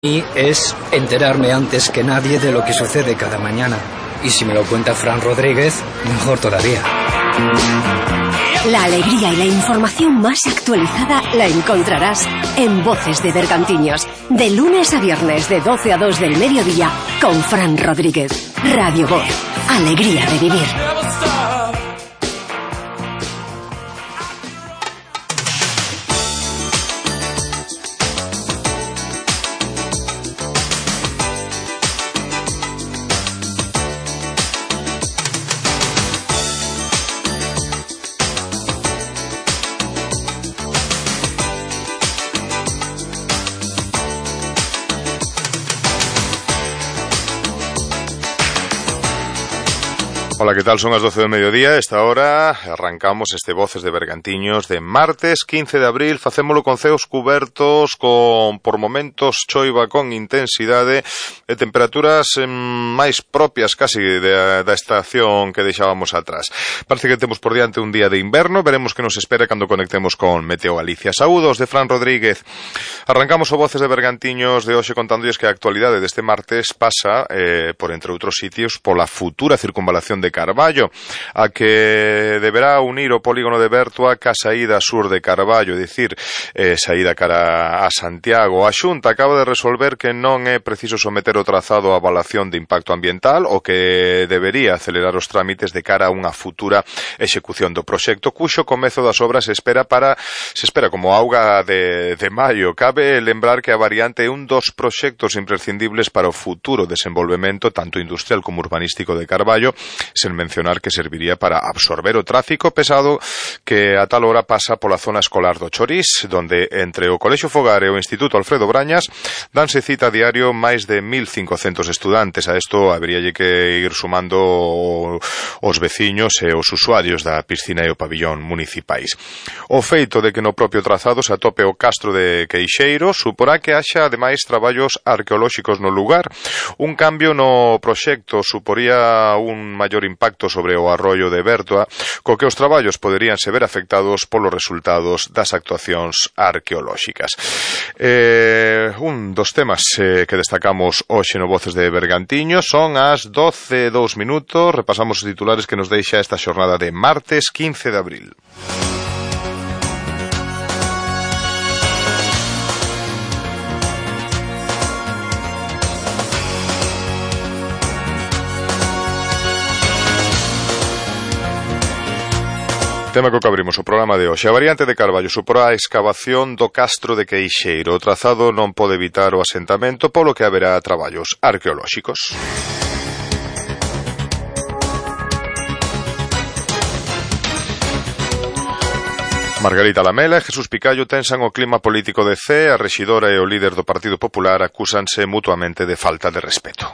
Y es enterarme antes que nadie de lo que sucede cada mañana. Y si me lo cuenta Fran Rodríguez, mejor todavía. La alegría y la información más actualizada la encontrarás en Voces de Bergantiños, de lunes a viernes de 12 a 2 del mediodía con Fran Rodríguez. Radio Voz, alegría de vivir. Hola, ¿qué tal? Son as 12 do mediodía. A esta hora arrancamos este Voces de Bergantiños de martes 15 de abril. Facémolo con ceos cubertos, con por momentos choiva con intensidade e temperaturas máis propias casi da estación que deixábamos atrás. Parece que temos por diante un día de inverno. Veremos que nos espera cando conectemos con Meteo Galicia. Saúdos de Fran Rodríguez. Arrancamos o Voces de Bergantiños de hoxe contándolles que a actualidade deste martes pasa, por entre outros sitios, pola futura circunvalación de Carballo, a que deberá unir o polígono de Bertua ca saída sur de Carballo, é dicir, saída cara a Santiago. A Xunta acaba de resolver que non é preciso someter o trazado a avaliación de impacto ambiental, o que debería acelerar os trámites de cara a unha futura execución do proxecto, cuxo comezo das obras se espera como auga de maio. Cabe lembrar que a variante é un dos proxectos imprescindibles para o futuro desenvolvemento tanto industrial como urbanístico de Carballo, sen mencionar que serviría para absorber o tráfico pesado que a tal hora pasa pola zona escolar do Chorís, donde entre o Colexio Fogar e o Instituto Alfredo Brañas danse cita a diario máis de 1.500 estudantes. A isto haberíalle que ir sumando os veciños e os usuarios da piscina e o pabillón municipais. O feito de que no propio trazado se atope o castro de Queixeiro suporá que haxa ademais traballos arqueolóxicos no lugar. Un cambio no proxecto suporía un maior impacto sobre o arroio de Bertua, co que os traballos poderían se ver afectados polos resultados das actuacións arqueolóxicas. Un dos temas que destacamos hoxe no Voces de Bergantiños son as 12:02. Repasamos os titulares que nos deixa esta xornada de martes 15 de abril. Tema co que abrimos o programa de hoxe. A variante de Carballo suporá a excavación do castro de Queixeiro. O trazado non pode evitar o asentamento, polo que haberá traballos arqueolóxicos. Margarita Lamela e Jesús Picallo tensan o clima político de Cee. A rexidora e o líder do Partido Popular acúsanse mutuamente de falta de respeto.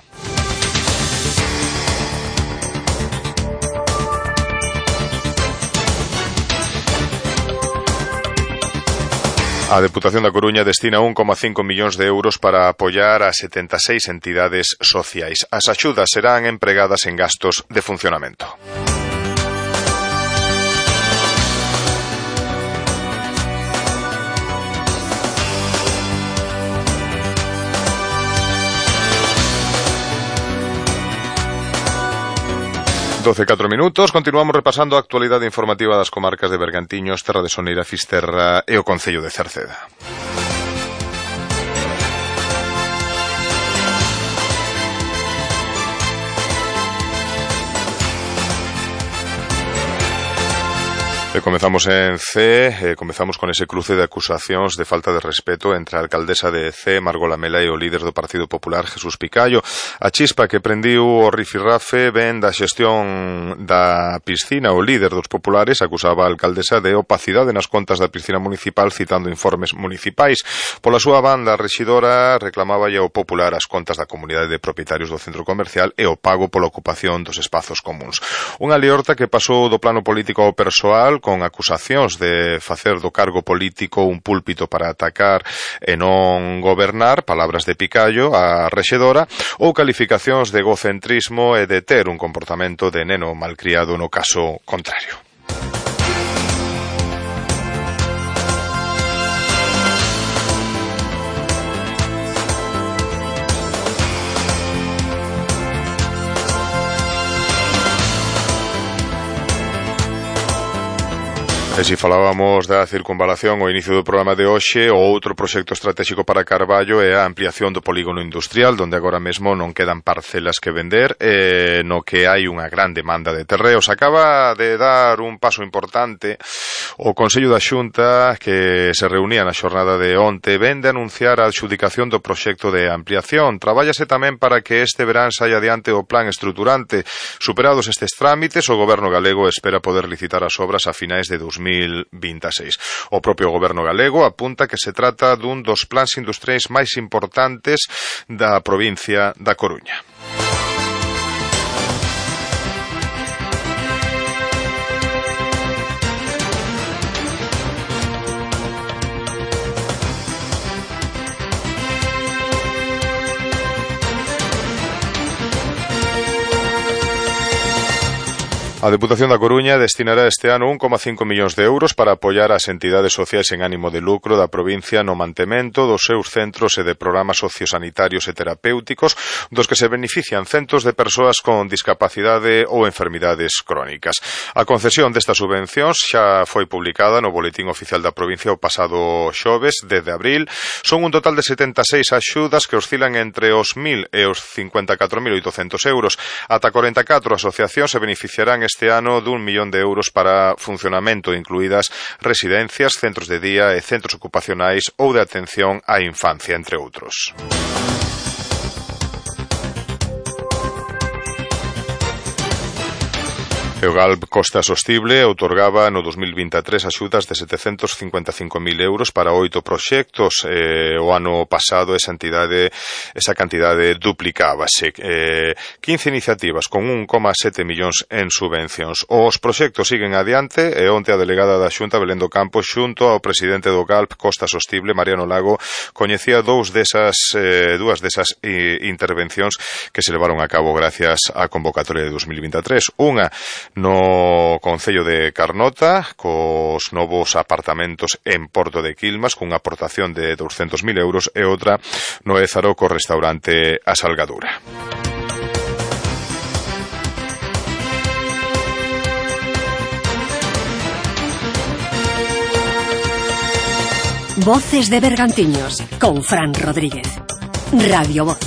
A Deputación da Coruña destina 1,5 millóns de euros para apoiar a 76 entidades sociais. As axudas serán empregadas en gastos de funcionamento. (12:04). Continuamos repasando a actualidade informativa das comarcas de Bergantiños, Terra de Soneira, Fisterra e o Concello de Cerceda. E comezamos en Cee, comezamos con ese cruce de acusacións de falta de respeto entre a alcaldesa de Cee, Margot Lamela, e o líder do Partido Popular, Jesús Picallo. A chispa que prendiu o rifirrafe ven da xestión da piscina. O líder dos populares acusaba a alcaldesa de opacidade nas contas da piscina municipal, citando informes municipais. Pola súa banda, a rexidora reclamaba ao popular as contas da comunidade de propietarios do centro comercial e o pago pola ocupación dos espazos comuns. Unha liorta que pasou do plano político ao persoal, con acusacións de facer do cargo político un púlpito para atacar e non gobernar, palabras de Picallo, a rexedora, ou calificacións de egocentrismo e de ter un comportamento de neno malcriado no caso contrario. E se falábamos da circunvalación ao inicio do programa de hoxe, o outro proxecto estratégico para Carballo é a ampliación do polígono industrial, donde agora mesmo non quedan parcelas que vender, no que hai unha gran demanda de terreos. Acaba de dar un paso importante o Consello da Xunta, que se reunía na xornada de onte, ven de anunciar a adxudicación do proxecto de ampliación. Trabállase tamén para que este verán saia adiante o plan estruturante. Superados estes trámites, o Goberno galego espera poder licitar as obras a finais de 2026. O propio Goberno galego apunta que se trata dun dos plans industriais máis importantes da provincia da Coruña. A Deputación da Coruña destinará este ano 1,5 millóns de euros para apoiar as entidades sociais en ánimo de lucro da provincia no mantemento dos seus centros e de programas sociosanitarios e terapéuticos dos que se benefician centos de persoas con discapacidade ou enfermidades crónicas. A concesión destas subvencións xa foi publicada no Boletín Oficial da provincia o pasado xoves, 10 de abril. Son un total de 76 axudas que oscilan entre os 1.000 e os 54.800 euros. Ata 44 asociacións se beneficiarán este ano d'1 millón de euros para funcionamento, incluídas residencias, centros de día e centros ocupacionais ou de atención á infancia, entre outros. O GALB Costa Sostible outorgaba no 2023 axudas de 755.000 euros para 8 proxectos. O ano pasado esa cantidade duplicábase. 15 iniciativas con 1,7 millóns en subvencións. Os proxectos siguen adiante e onte a delegada da Xunta, Belén do Campo, xunto ao presidente do GALB Costa Sostible, Mariano Lago, coñecía dúas desas intervencións que se levaron a cabo gracias á convocatoria de 2023. Unha no Concello de Carnota, cos novos apartamentos en Porto de Quilmas, cunha aportación de 200.000 euros, e outra no Ézaro co restaurante A Salgadura. Voces de Bergantiños, con Fran Rodríguez. Radio Voz.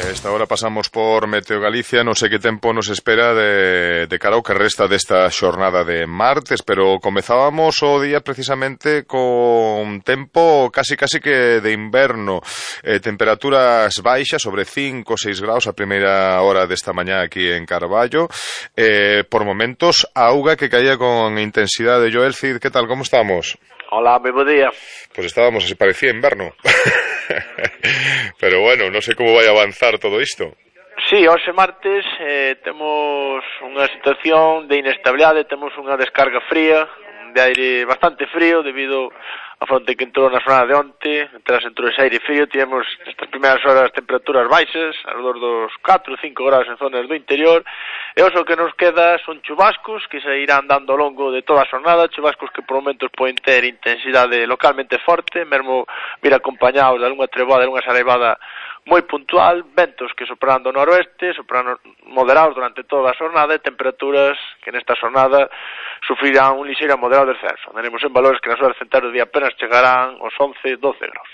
Esta hora pasamos por Meteo Galicia, non sei que tempo nos espera de cara ao que resta desta xornada de martes, pero comezábamos o día precisamente con tempo casi que de inverno, temperaturas baixas, sobre 5 ou 6 graus a primeira hora desta mañá aquí en Carballo, por momentos auga que caía con intensidade. Joel Cid, que tal, como estamos? Hola, moi bo día. Pues estábamos, así parecía inverno. Pero bueno, non sei como vai avanzar todo isto. Sí, hoxe martes temos unha situación de inestabilidade, temos unha descarga fría, de aire bastante frío debido a fronte que entrou na zona de onte. Tras entrou ese aire frío, tivemos estas primeiras horas temperaturas baixas, alrededor dos 4 ou 5 graus en zonas do interior, e o que nos queda son chubascos que se irán dando ao longo de toda a xornada, chubascos que por momentos poden ter intensidade localmente forte, mesmo vir acompañados de algunha treboada, de algunha saraivada moi puntual, ventos que soprando do noroeste, soprando moderados durante toda a xornada, e temperaturas que nesta xornada sufrirán un lixeiro a moderado descenso. Andaremos en valores que nas horas centrais do día apenas chegarán aos 11-12 graus.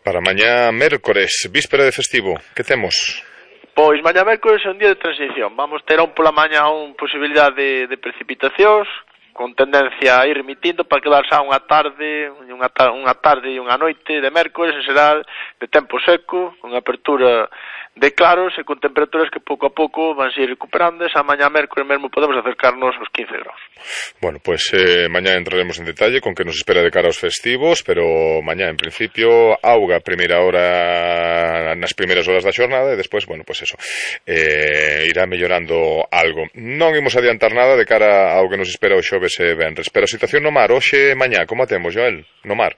Para mañá mércores, víspera de festivo, que temos? Pois mañá mércores é un día de transición. Vamos ter aún pola mañá unha posibilidade de precipitacións, con tendencia a ir remitindo para quedar xa unha tarde e unha noite de mércores en xeral de tempo seco, con apertura de claros e con temperaturas que pouco a pouco van ir recuperando. Esa mañá mércores mesmo podemos acercarnos aos 15 graus. Bueno, pues mañá entraremos en detalle con que nos espera de cara aos festivos, pero mañá en principio auga primeira hora nas primeiras horas da xornada e despois, bueno, pues eso, irá mellorando algo. Non imos adiantar nada de cara ao que nos espera o xoves e venres, pero a situación no mar hoxe e mañá, como a temos, Joel, no mar?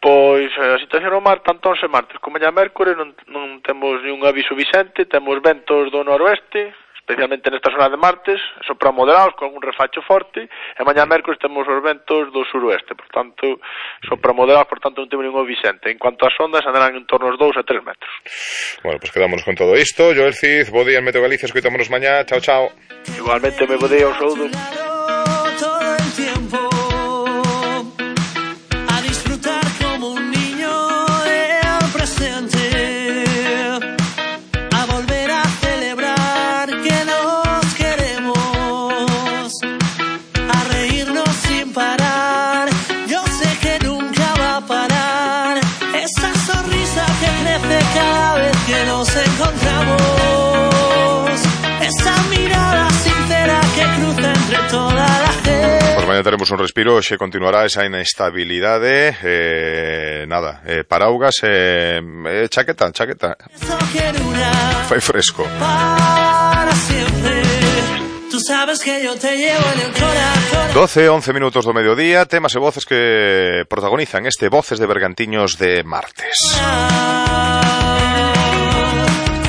Pois a situación no mar, tanto onse martes como mañá mércores non temos ningún aviso vixente, temos ventos do noroeste, especialmente nesta zona de martes, sopra moderados con un refacho forte, e mañá mércoles temos os ventos do suroeste, por tanto, sopra moderados, por tanto non temos ningún Vicente. En cuanto ás ondas, andarán en torno aos 2 a 3 metros. Bueno, pues quedámonos con todo isto. Joel Cid, bo día en Meteo Galicia, escoitámonos mañá. Chao, chao. Igualmente, me bo día, un saúdo. Todo el tiempo a disfrutar como un niño el presente, a volver a celebrar que nos queremos, a reírnos sin parar. Yo sé que nunca va a parar esa sonrisa que crece cada vez que nos encontramos, esa mirada sincera que cruza entre toda la gente. Pues mañá teremos un respiro, xe continuará esa inestabilidade, paraugas, chaqueta. Fai fresco. Para siempre. Tú sabes que yo te llevo en el corazón. 12-11 minutos do mediodía, temas e voces que protagonizan este Voces de Bergantiños de martes.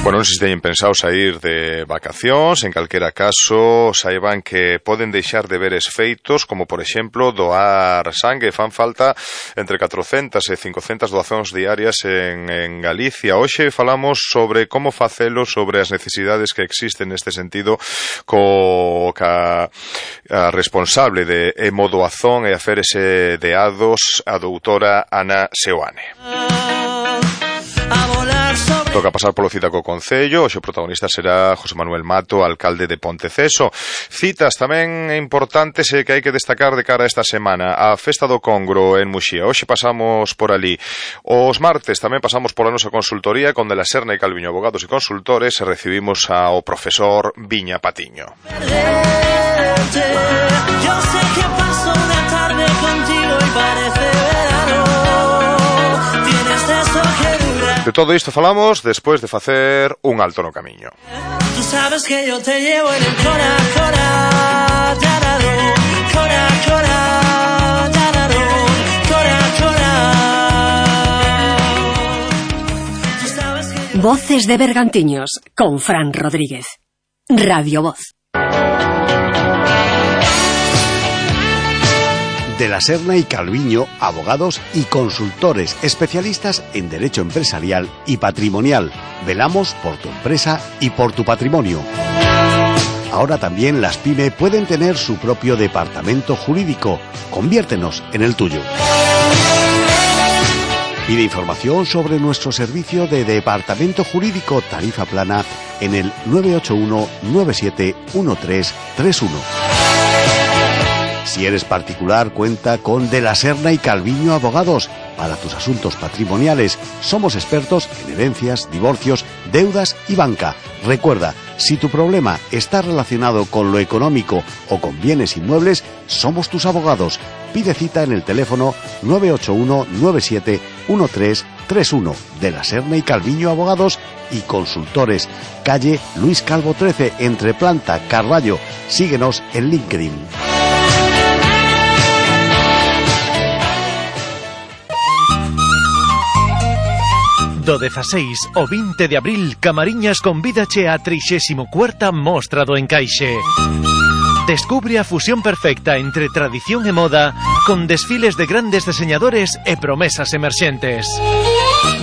Bueno, non sei se teñen pensado sair de vacacións, en calquera caso, saiban que poden deixar deberes feitos, como por exemplo doar sangue. Fan falta entre 400 e 500 doazóns diarias en Galicia. Hoxe falamos sobre como facelo, sobre as necesidades que existen neste sentido, ca responsable de hemodoazón e aférese de ADOS, a doutora Ana Seoane. Toca pasar polo Citaco Concello. Hoxe o protagonista será José Manuel Mato, alcalde de Ponteceso. Citas tamén importantes que hai que destacar de cara a esta semana. A Festa do Congro en Muxía. Hoxe pasamos por ali. Os martes tamén pasamos pola nosa consultoría con De la Serna e Calviño, abogados e consultores, e recibimos ao profesor Viña Patiño. Yo sé que paso una tarde contigo y parece verano. Tienes eso que dura. De todo isto falamos despois de facer un alto no camiño. Tú sabes que yo te llevo en el cora, tararo, cora, tararo, cora. Tú sabes que yo... Voces de Bergantiños con Fran Rodríguez. Radio Voz. De la Serna y Calviño, abogados y consultores especialistas en derecho empresarial y patrimonial. Velamos por tu empresa y por tu patrimonio. Ahora también las PYME pueden tener su propio departamento jurídico. Conviértenos en el tuyo. Pide información sobre nuestro servicio de departamento jurídico tarifa plana en el 981 97 1331. Si eres particular, cuenta con De la Serna y Calviño Abogados. Para tus asuntos patrimoniales, somos expertos en herencias, divorcios, deudas y banca. Recuerda, si tu problema está relacionado con lo económico o con bienes inmuebles, somos tus abogados. Pide cita en el teléfono 981 97 1331. De la Serna y Calviño Abogados y Consultores. Calle Luis Calvo 13, entre Planta, Carballo. Síguenos en LinkedIn. Do 16 o 20 de abril, Camariñas convídache a 34ª Mostra do Encaixe. Descubre a fusión perfecta entre tradición e moda, con desfiles de grandes diseñadores e promesas emerxentes.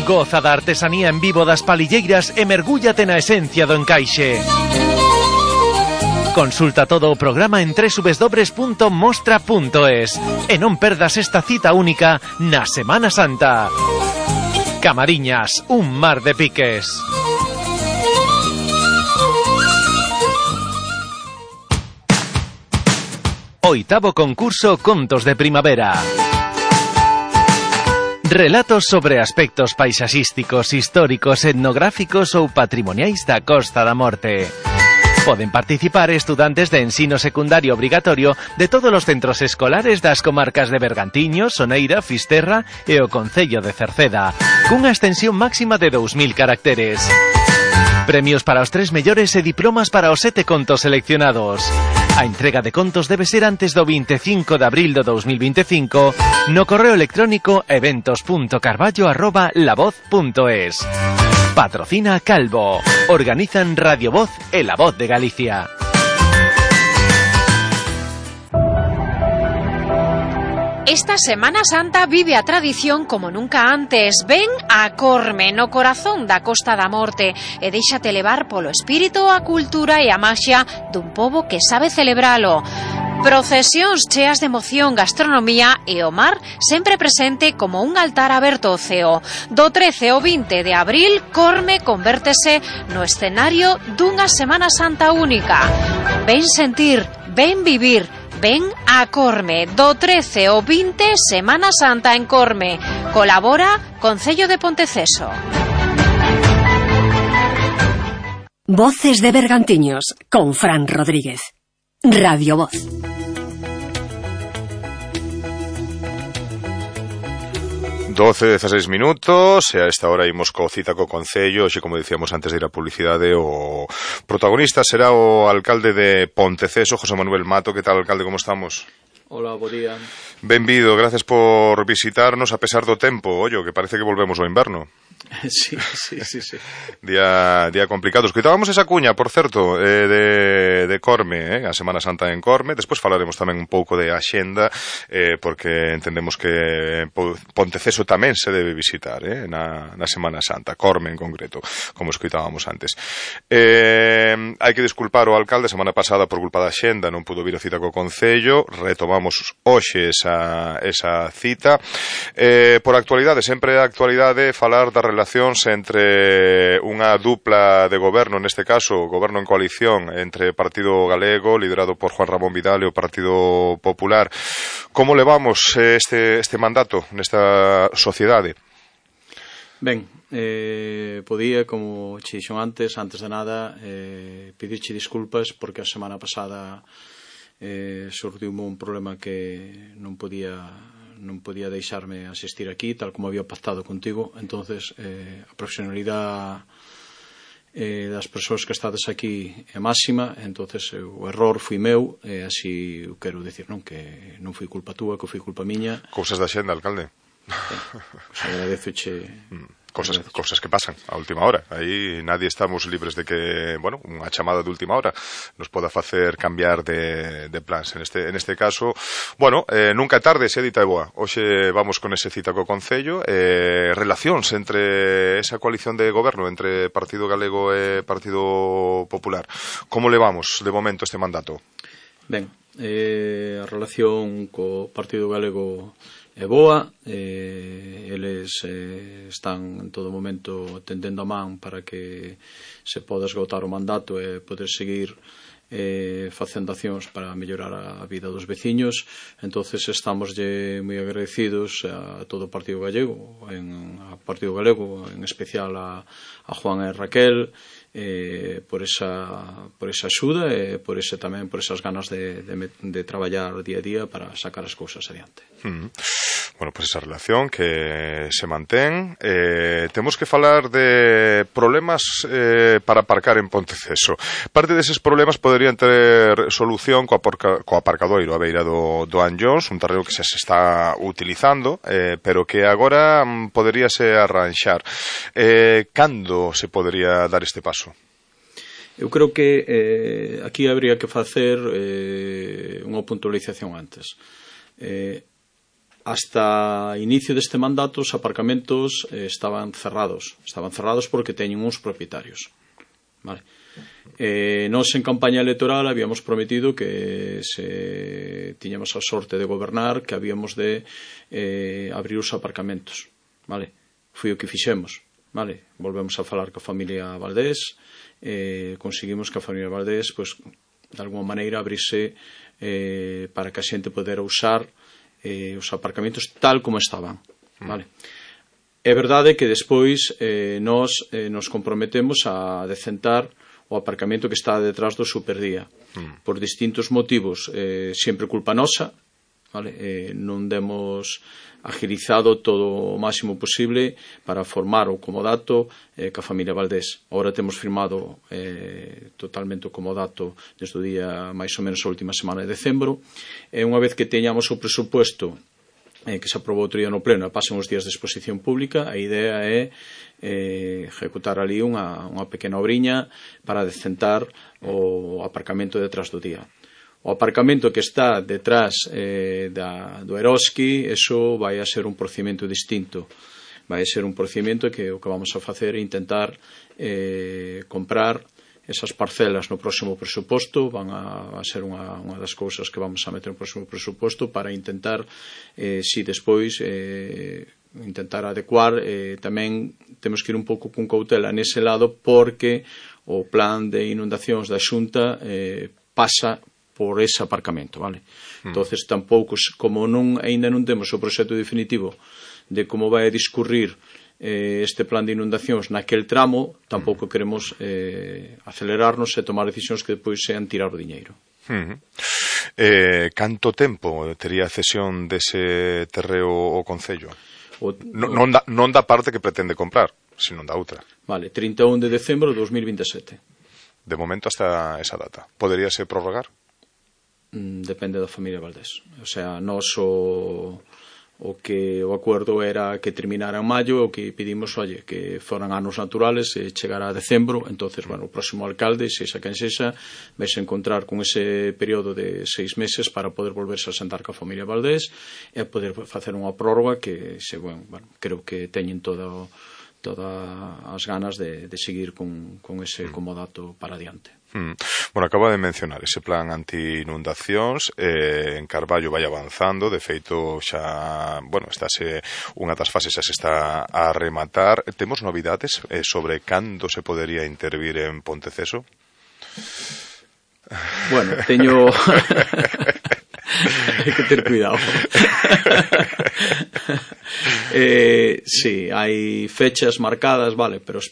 Goza da artesanía en vivo das palilleiras e mergúllate na esencia do encaixe. Consulta todo o programa en www.mostra.es e non perdas esta cita única na Semana Santa. Camariñas, un mar de piques. Oitavo concurso Contos de Primavera. Relatos sobre aspectos paisaxísticos, históricos, etnográficos ou patrimoniais da Costa da Morte. Poden participar estudantes de ensino secundario obrigatorio de todos os centros escolares das comarcas de Bergantiños, Soneira, Fisterra e o Concello de Cerceda, cunha extensión máxima de 2000 caracteres. Premios para os 3 mellores e diplomas para os 7 contos seleccionados. A entrega de contos debe ser antes do 25 de abril do 2025 no correo electrónico eventos.carballo@lavoz.es. Patrocina Calvo. Organizan Radio Voz e La Voz de Galicia. Esta Semana Santa vive a tradición como nunca antes. Ven a Corme, no corazón da Costa da Morte, e déixate levar polo espírito, a cultura e a maxia dun pobo que sabe celebralo. Procesións cheas de emoción, gastronomía e o mar sempre presente como un altar aberto ao ceo. Do 13 ao 20 de abril, Corme convértese no escenario dunha Semana Santa única. Ven sentir, ven vivir, ven a Corme. Do 13 ao 20, Semana Santa en Corme. Colabora Concello de Ponteceso. Voces de Bergantiños, con Fran Rodríguez. Radio Voz. Doce, 16 minutos, e a esta hora imos co cita co Concello. Hoxe, como dicíamos antes de ir a publicidade, o protagonista será o alcalde de Ponteceso, José Manuel Mato. Que tal, alcalde, como estamos? Hola, bo día. Benvido, gracias por visitarnos a pesar do tempo. Ollo, que parece que volvemos ao inverno. Sí. Día complicado. Escoitábamos esa cuña, por certo, de Corme, a Semana Santa en Corme. Despois falaremos tamén un pouco de axenda, porque entendemos que Ponteceso tamén se debe visitar na Semana Santa, Corme en concreto, como escoitábamos antes. Hai que disculpar o alcalde, semana pasada por culpa da axenda non pudo vir a cita co Concello. Retomamos hoxe esa cita. Por actualidade, sempre a actualidade, falar das relacións entre unha dupla de goberno, neste caso, goberno en coalición entre Partido Galego, liderado por Juan Ramón Vidal, e o Partido Popular. Como levamos este mandato nesta sociedade? Ben, podía, como che dixo antes de nada, pedirche disculpas porque a semana pasada surdiume un problema que non podía deixarme asistir aquí, tal como había pactado contigo. Entonces, a profesionalidade das persoas que estades aquí é máxima. Entonces, o error foi meu, e así o quero dicir, non? Que non foi culpa túa, que foi culpa miña. Cousas da xenda, alcalde. Pues agradezoche Cosas que pasan a última hora. Aí nadie estamos libres de que, bueno, unha chamada de última hora nos poda facer cambiar de plans. En este caso, bueno, nunca é tarde, se dita é boa. Hoxe vamos con ese cita co Concello. Relacións entre esa coalición de goberno entre Partido Galego e Partido Popular. Como levamos de momento este mandato? Ben, a relación co Partido Galego é boa. Eles están en todo momento tendendo a man para que se poda esgotar o mandato e poder seguir facendo accións para mellorar a vida dos veciños. Entonces estamos moi agradecidos a todo o Partido Galego, en especial a Juan e Raquel, por esa axuda e por esas ganas de traballar día a día para sacar as cousas adiante. Bueno, pues esa relación que se mantén. Temos que falar de problemas para aparcar en Ponteceso. Parte deses problemas poderían ter solución co aparcadoiro a beira do Anllóns, un terreno que se está utilizando, pero que agora poderíase arranxar. Cando se podería dar este paso? Eu creo que aquí habría que facer unha puntualización antes. Hasta inicio deste mandato os aparcamentos estaban cerrados porque teñen uns propietarios, vale? Nós en campaña electoral habíamos prometido que se tiñamos a sorte de gobernar, que habíamos de abrir os aparcamentos, vale? Foi o que fixemos, vale? Volvemos a falar coa familia Valdés, conseguimos que a familia Valdés, pues, de alguma maneira abrirse para que a xente podera usar os aparcamentos tal como estaban, vale? É verdade que despois nos comprometemos a decentar o aparcamento que está detrás do Superdía por distintos motivos, sempre culpa nosa, vale? Non demos agilizado todo o máximo posible para formar o comodato ca familia Valdés. Agora temos firmado totalmente o comodato desde o día máis ou menos a última semana de decembro, e unha vez que teñamos o presupuesto que se aprobou outro día no pleno, pasan os días de exposición pública. A idea é ejecutar ali unha pequena obriña para decentar o aparcamento detrás do día. O aparcamento que está detrás do Eroski, eso vai a ser un procedimento distinto. Vai a ser un procedimento que o que vamos a facer é intentar comprar esas parcelas no próximo presuposto. Van a ser unha das cousas que vamos a meter no próximo presuposto para intentar, si despois intentar adecuar. Tamén temos que ir un pouco con cautela nese lado, porque o plan de inundacións da Xunta pasa por ese aparcamento, vale? Entonces tampouco, como aínda non temos o proxecto definitivo de como vai a discurrir este plan de inundacións naquel tramo, tampouco queremos acelerarnos e tomar decisións que depois sean tirar o diñeiro. Canto tempo tería a cesión dese terreo o Concello? Non da parte que pretende comprar, sino da outra. Vale, 31 de decembro de 2027. De momento hasta esa data. Poderíase prorrogar? Depende da familia Valdés. O sea, nós o acordo era que terminara en maio, o que pedimos, que foran anos naturales e chegara a decembro. Entonces, bueno, o próximo alcalde, sexa quen sexa, vais a encontrar con ese período de 6 meses para poder volverse a sentar ca familia Valdés e poder facer unha prórroga que, creo que teñen todas as ganas de seguir con ese comodato para adiante. Bueno, acaba de mencionar ese plan anti-inundacións. En Carballo vai avanzando. De feito, xa, estáse unha das fases xa se está a rematar. Temos novidades sobre cando se podería intervir en Ponteceso? Bueno, teño... hai que ter cuidado. Sí, hai fechas marcadas, vale, pero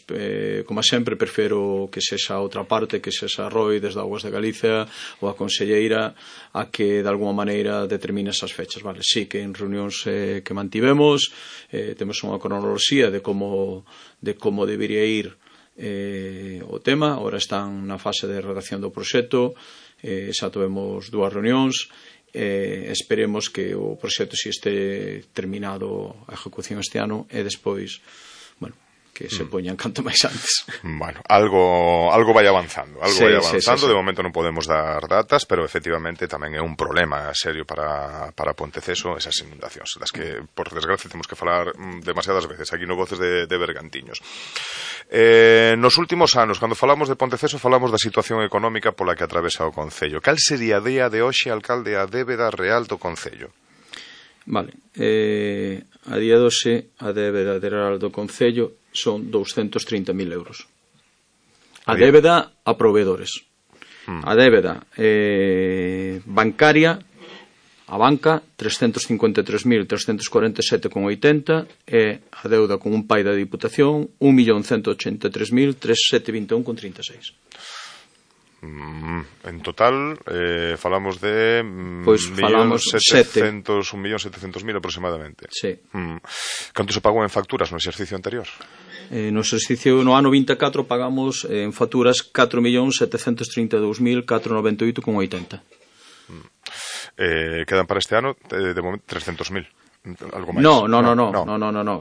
como sempre prefiro que sexa outra parte, que sexa Roi desde Augas de Galicia ou a conselleira a que de alguma maneira determine esas fechas, vale. Sí, que en reunións que mantivemos temos unha cronoloxía de como debería ir o tema. Ahora están na fase de redacción do proxecto, xa tivemos 2 reunións. Esperemos que o proxecto si este terminado a ejecución este ano e despois, que se poñan canto máis antes. Bueno, algo vai avanzando, Sí. De momento non podemos dar datas, pero efectivamente tamén é un problema serio para Ponteceso esas inundacións, das que por desgracia temos que falar demasiadas veces aquí no Voces de Bergantiños. Nos últimos anos, cando falamos de Ponteceso, falamos da situación económica pola que atravesa o Concello. Cal sería a día de hoxe, alcalde, a débeda real do Concello? Vale, a día de hoxe a débeda real do Concello son 230.000 euros. A débeda a proveedores. A débeda bancaria, a banca, 353.347,80, e a deuda con un pai da Diputación, 1.183.3721,36. En total falamos de 1.700.000 aproximadamente. Sí. Canto se pagou en facturas no exercicio anterior? No exercicio no ano 24 pagamos en facturas 4.732.498,80. Quedan para este ano de momento 300.000. Algo máis. No.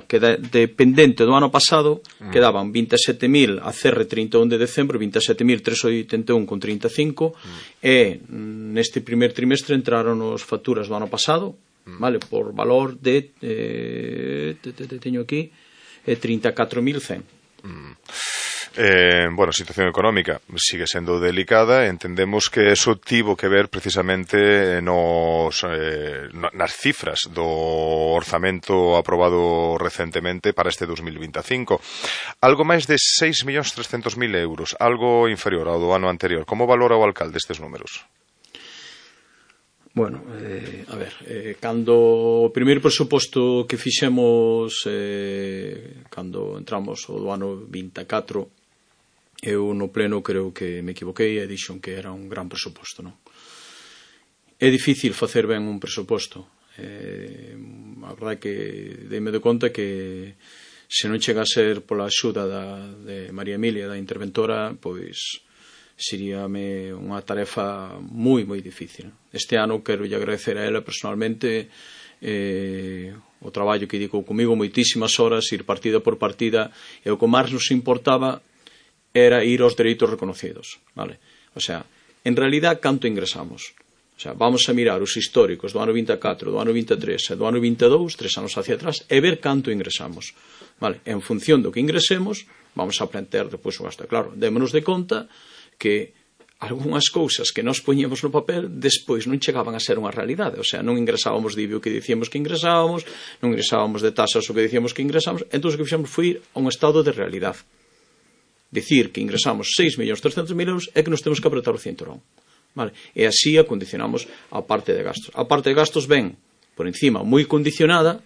Queda dependente do ano pasado, quedaban 27.000 a cerre 31 de decembro, 27.381,35, e neste primer trimestre entraron as facturas do ano pasado, vale, por valor de teño aquí 34.100. Situación económica sigue sendo delicada. Entendemos que eso tivo que ver precisamente nas cifras do orzamento aprobado recentemente para este 2025. Algo máis de 6.300.000 euros, algo inferior ao do ano anterior. Como valora o alcalde estes números? Bueno, a ver, cando o primeiro presuposto que fixemos cando entramos o do ano 24, eu no pleno creo que me equivoquei e dixon que era un gran presuposto, non? É difícil facer ben un presuposto. A verdade é que deime de conta que se non chega a ser pola axuda de María Emilia, da interventora, pois seríame unha tarefa moi, moi difícil. Este ano quero lle agradecer a ela personalmente o traballo que dedicou comigo moitísimas horas, ir partida por partida, e o que máis nos importaba era ir aos dereitos reconocidos, vale? O sea, en realidad, canto ingresamos? O sea, vamos a mirar os históricos do ano 24, do ano 23 e do ano 22, 3 anos hacia atrás, e ver canto ingresamos, vale? En función do que ingresemos, vamos a plantear depois o gasto. Claro, démonos de conta que algunhas cousas que nos poñíamos no papel despois non chegaban a ser unha realidade, o sea, non ingresábamos de IBI o que dicíamos que ingresábamos, non ingresábamos de tasas o que dicíamos que ingresábamos, entón o que fixemos foi ir a un estado de realidade. Dicir que ingresamos 6.300.000 euros é que nos temos que apretar o cinturón, vale? E así acondicionamos a parte de gastos. A parte de gastos ven, por encima, moi condicionada,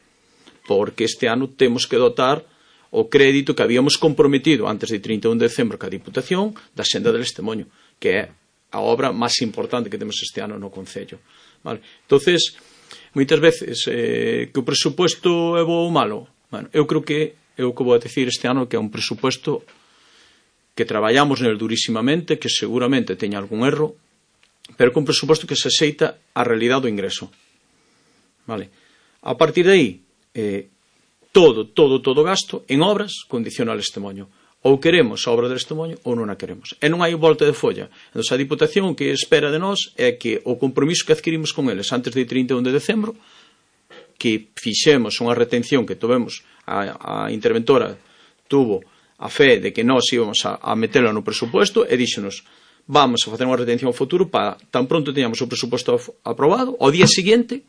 porque este ano temos que dotar o crédito que habíamos comprometido antes de 31 de decembro ca Diputación da Senda del Estemoño, que é a obra máis importante que temos este ano no Concello, vale? Entonces, moitas veces que o presupuesto é bo ou malo, bueno, eu creo que é o que vou a decir este ano, que é un presupuesto que traballamos nel durísimamente, que seguramente teña algún erro, pero que un presupuesto que se aceita a realidade do ingreso, vale? A partir de aí, todo gasto en obras condiciona al Estemoño. Ou queremos a obra del Estemoño ou non a queremos. E non hai volta de folla. Entón, a Diputación o que espera de nós é que o compromiso que adquirimos con eles antes de 31 de decembro, que fixemos unha retención que tovemos, a interventora tuvo a fe de que nós íbamos a metelo no presupuesto e díxenos, vamos a facer unha retención ao futuro para tan pronto teñamos o presupuesto aprobado, ao día seguinte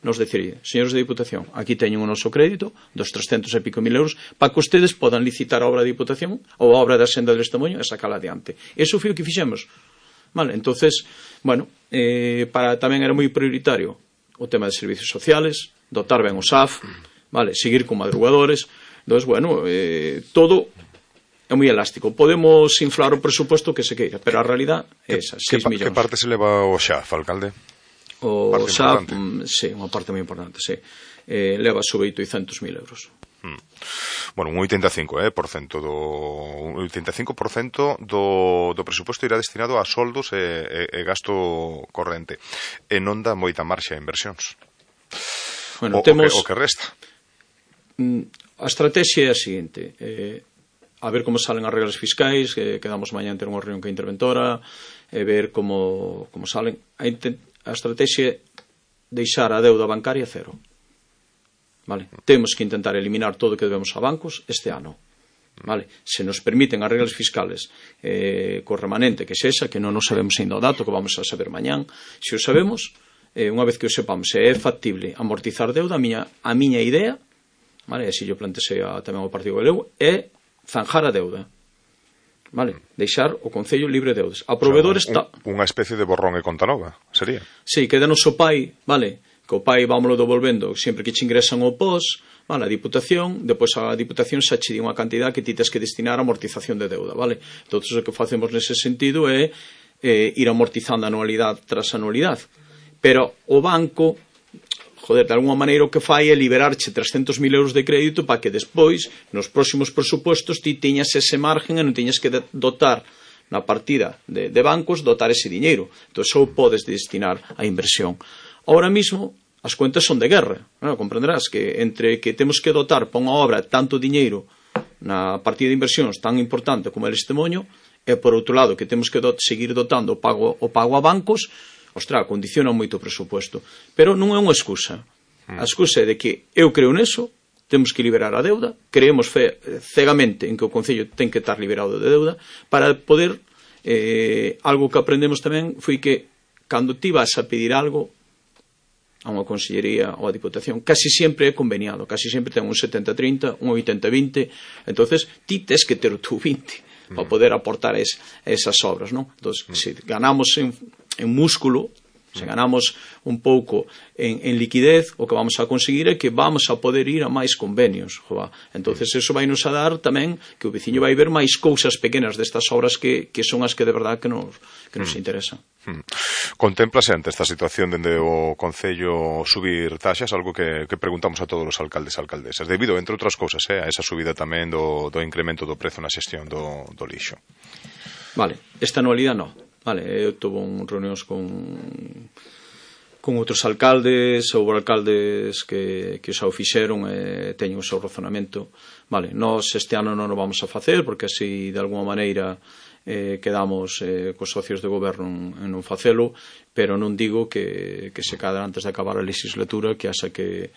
nos decidir, señores de Diputación, aquí teñen o noso crédito dos 300 e pico mil euros para que ustedes podan licitar a obra da Diputación ou a obra da Senda del Estemoño e sacala adiante. Eso foi o que fixemos, vale? Entonces, bueno, para tamén era moi prioritario o tema de servicios sociales, dotar ben o SAF, vale, seguir con madrugadores. Entonces, bueno, todo é moi elástico. Podemos inflar o presupuesto que se queira, pero a realidad é esa, 6 millóns. Que parte se leva o XAF, alcalde? O SAF, sí, unha parte moi importante, sí. Leva sobre 800.000 euros. Bueno, un 85% do presuposto irá destinado a soldos e gasto corrente. E non dá moita marxe a inversións. Bueno, temos o que resta. A estrategia é a seguinte, a ver como salen as reglas fiscais, quedamos mañá en ter unha reunión que a interventora, e ver como salen. A estrategia é deixar a deuda bancaria cero. Vale? Temos que intentar eliminar todo o que debemos a bancos este ano. Vale? Se nos permiten as reglas fiscales co remanente que sexa, que non nos sabemos ainda o dato, que vamos a saber mañán, se o sabemos, unha vez que o sepamos, se é factible amortizar deuda, a miña idea, vale? E se yo plantexei tamén o Partido Galego, é zanjar a deuda. Vale, deixar o Concello libre de deudas. A proveedores unha especie de borrón e conta nova, sería? Sí, que denos o pai, vale, que o pai vámoslo devolvendo sempre que che ingresan o POS, vale, a Diputación, depois a Diputación xa che di unha cantidad que ti tes que destinar a amortización de deuda, vale? Entón, o que facemos nese sentido é ir amortizando anualidade tras anualidade. Pero o banco, de alguma maneira o que fai é liberarche 300.000 euros de crédito para que despois, nos próximos presupostos, ti teñas ese margen e non teñas que dotar na partida de bancos, dotar ese diñeiro. Entón, só podes destinar a inversión. Ahora mismo, as cuentas son de guerra. Comprenderás que entre que temos que dotar para unha obra tanto diñeiro na partida de inversións tan importante como el Estemoño, e por outro lado que temos que seguir dotando o pago a bancos, ostras, condiciona moito o presupuesto. Pero non é unha excusa. A excusa é de que eu creo neso, temos que liberar a deuda, creemos cegamente en que o Concello ten que estar liberado de deuda, para poder, algo que aprendemos tamén foi que cando ti vas a pedir algo a unha consellería ou a Diputación, casi sempre é conveniado, casi sempre ten un 70-30, un 80-20, entonces ti tes que ter o teu 20 para poder aportar esas obras, non? Entón, se ganamos en músculo, se ganamos un pouco en liquidez, o que vamos a conseguir é que vamos a poder ir a máis convenios. Entonces, eso vai nos a dar tamén que o veciño vai ver máis cousas pequenas destas obras que son as que de verdad que nos interesan. Contémplase ante esta situación dende o Concello subir taxas, algo que preguntamos a todos os alcaldes e alcaldesas, debido, entre outras cousas, a esa subida tamén do incremento do prezo na xestión do lixo. Vale, esta anualidade non. Vale, eu tuve reunións con con outros alcaldes, houve alcaldes que xa o fixeron e teñen o seu razonamento. Vale, nós este ano non o vamos a facer porque así de alguma maneira quedamos cos socios de goberno en non facelo, pero non digo que se cadra antes de acabar a legislatura que haxa que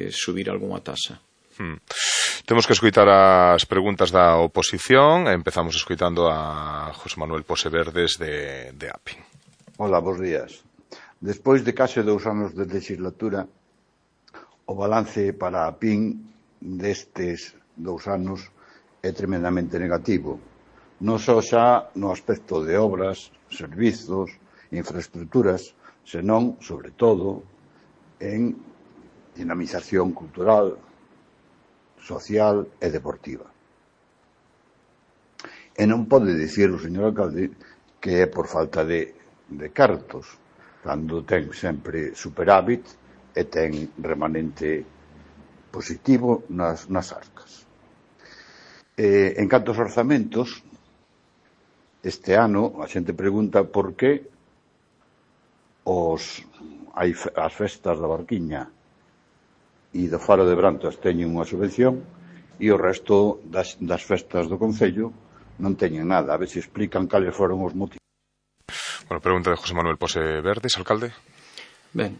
subir algunha tasa. Temos que escoitar as preguntas da oposición. Empezamos escoitando a José Manuel Poseverdes de APIN. Hola, bons días. Despois de case 2 anos de legislatura, o balance para a APIN destes 2 anos é tremendamente negativo. Non só xa no aspecto de obras, servizos, infraestructuras, senón, sobre todo, en dinamización cultural, social e deportiva. E non pode dicir o señor alcalde que é por falta de cartos, cando ten sempre superávit e ten remanente positivo nas arcas. En canto aos orzamentos, este ano a xente pregunta por que as festas da Barquiña e do Faro de Brantas teñen unha subvención e o resto das festas do Concello non teñen nada. A ver se explican cales foron os motivos. Bueno, pregunta de José Manuel Poseverdes, alcalde. Ben,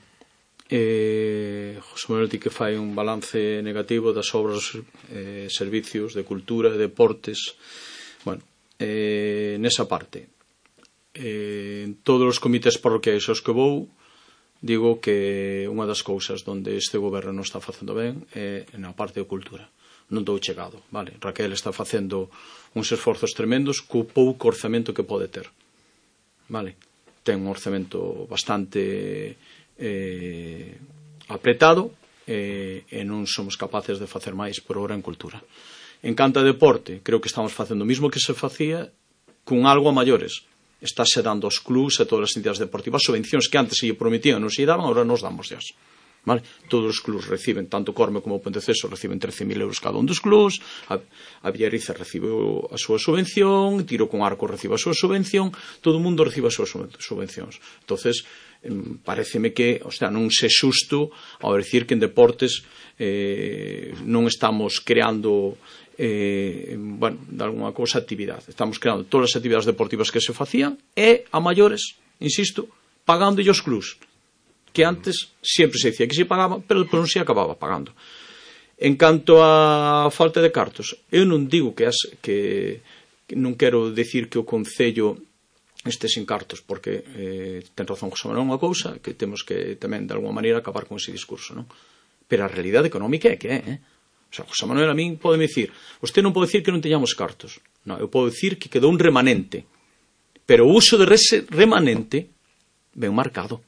José Manuel di que fai un balance negativo das obras, servicios de cultura e deportes. Bueno, nesa parte, en todos os comités parroquiais aos que vou, digo que unha das cousas onde este goberno non está facendo ben é na parte de cultura. Non dou chegado, vale? Raquel está facendo uns esforzos tremendos co pouco orzamento que pode ter, vale? Ten un orzamento bastante apretado e non somos capaces de facer máis por hora en cultura. En canto a deporte, creo que estamos facendo o mismo que se facía cun algo a maiores. Estáse dando aos clubs e todas as entidades deportivas subvencións que antes se lle prometían non se lle daban, agora nos damos xas. Vale? Todos os clubs reciben, tanto Corme como Ponteceso reciben 13.000 euros cada un dos clubs, a Villariza recibe a súa subvención, Tiro con Arco recibe a súa subvención, todo o mundo recibe as súas subvencións. Entonces, pareceme que, non se xusto ao dicir que en deportes non estamos creando de alguna cousa actividade. Estamos creando todas as actividades deportivas que se facían e a maiores, insisto, pagando os clubs, que antes sempre se dicía que se pagaba, pero non se acababa pagando. En canto a falta de cartos, eu non digo que non quero decir que o Concello este sin cartos, porque ten razón José Manuel unha cousa, que temos que tamén de alguma maneira acabar con ese discurso, non? Pero a realidade económica é que é, O sea, José Manuel a min pode me dicir, usted non pode dicir que non teñamos cartos. Non, eu podo dicir que quedou un remanente. Pero o uso de ese remanente ben marcado.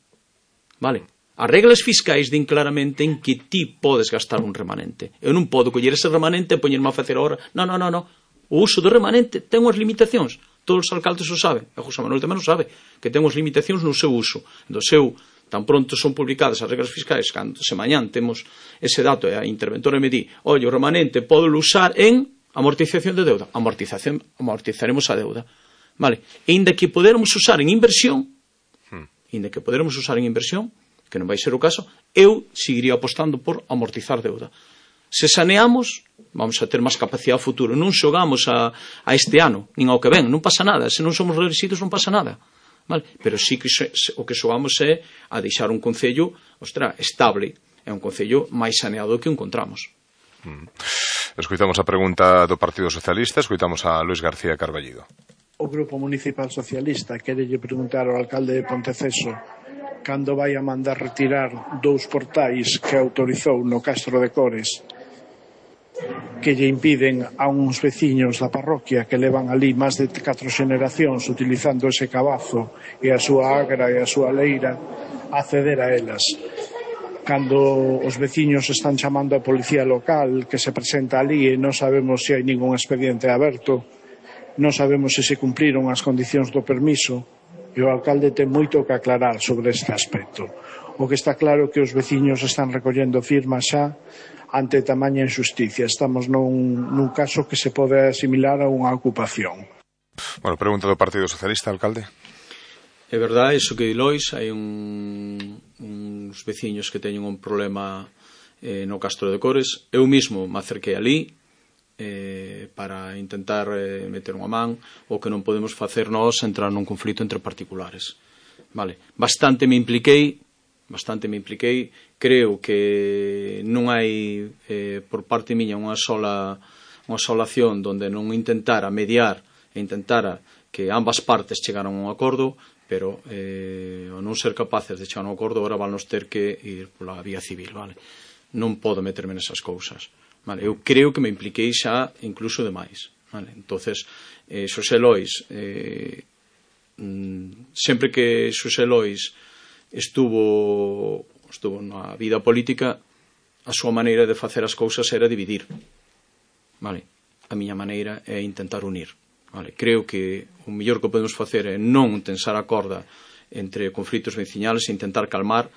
Vale? As reglas fiscais din claramente en que ti podes gastar un remanente. Eu non podo coller ese remanente e poñerme a facer ahora. Non. O uso do remanente ten unhas limitacións. Todos os alcaldes o saben. E José Manuel tamén o sabe. Que ten unhas limitacións no seu uso. Do seu... Tan pronto son publicadas as reglas fiscais, cando se mañán temos ese dato e a interventora me di, oye, o remanente pode usar en amortización de deuda. Amortizaremos a deuda. Vale? E inda que podermos usar en inversión, que non vai ser o caso, eu seguiría apostando por amortizar deuda. Se saneamos, vamos a ter máis capacidade a futuro. Non xogamos a este ano, nin ao que ven, non pasa nada. Se non somos reelexidos non pasa nada. Vale? Pero sí que o que xogamos é a deixar un concello estable, é un concello máis saneado que encontramos. Escoitamos a pregunta do Partido Socialista, escoitamos a Luis García Carballido. O Grupo Municipal Socialista querelle preguntar ao alcalde de Ponteceso cando vai a mandar retirar 2 portais que autorizou no Castro de Cores que lle impiden a uns veciños da parroquia que levan ali máis de 4 xeneracións utilizando ese cabazo e a súa agra e a súa leira acceder a elas. Cando os veciños están chamando a policía local que se presenta ali e non sabemos se hai ningún expediente aberto, non sabemos se cumpriron as condicións do permiso, e o alcalde ten moito que aclarar sobre este aspecto. O que está claro é que os veciños están recollendo firmas xa ante tamaña injusticia. Estamos nun caso que se pode asimilar a unha ocupación. Bueno, pregunta do Partido Socialista, alcalde. É verdade, iso que di Lois, hai uns veciños que teñen un problema no Castro de Cores. Eu mismo me acerquei ali para intentar meter unha man. O que non podemos facer nós entrar nun conflito entre particulares. Vale. Bastante me impliquei. Creo que non hai por parte miña unha sola acción donde non intentara mediar e intentara que ambas partes chegaran a un acordo, pero ao non ser capaces de chegar a un acordo, agora valnos ter que ir pola vía civil, vale? Non podo meterme nesas cousas, vale? Eu creo que me impliquei xa incluso demais, vale? Entonces, Xosé Lois, sempre que Xosé Lois estuvo na vida política, a súa maneira de facer as cousas era dividir, vale? A miña maneira é intentar unir. Vale, creo que o mellor que podemos facer é non tensar a corda entre conflitos veciñales e intentar calmar,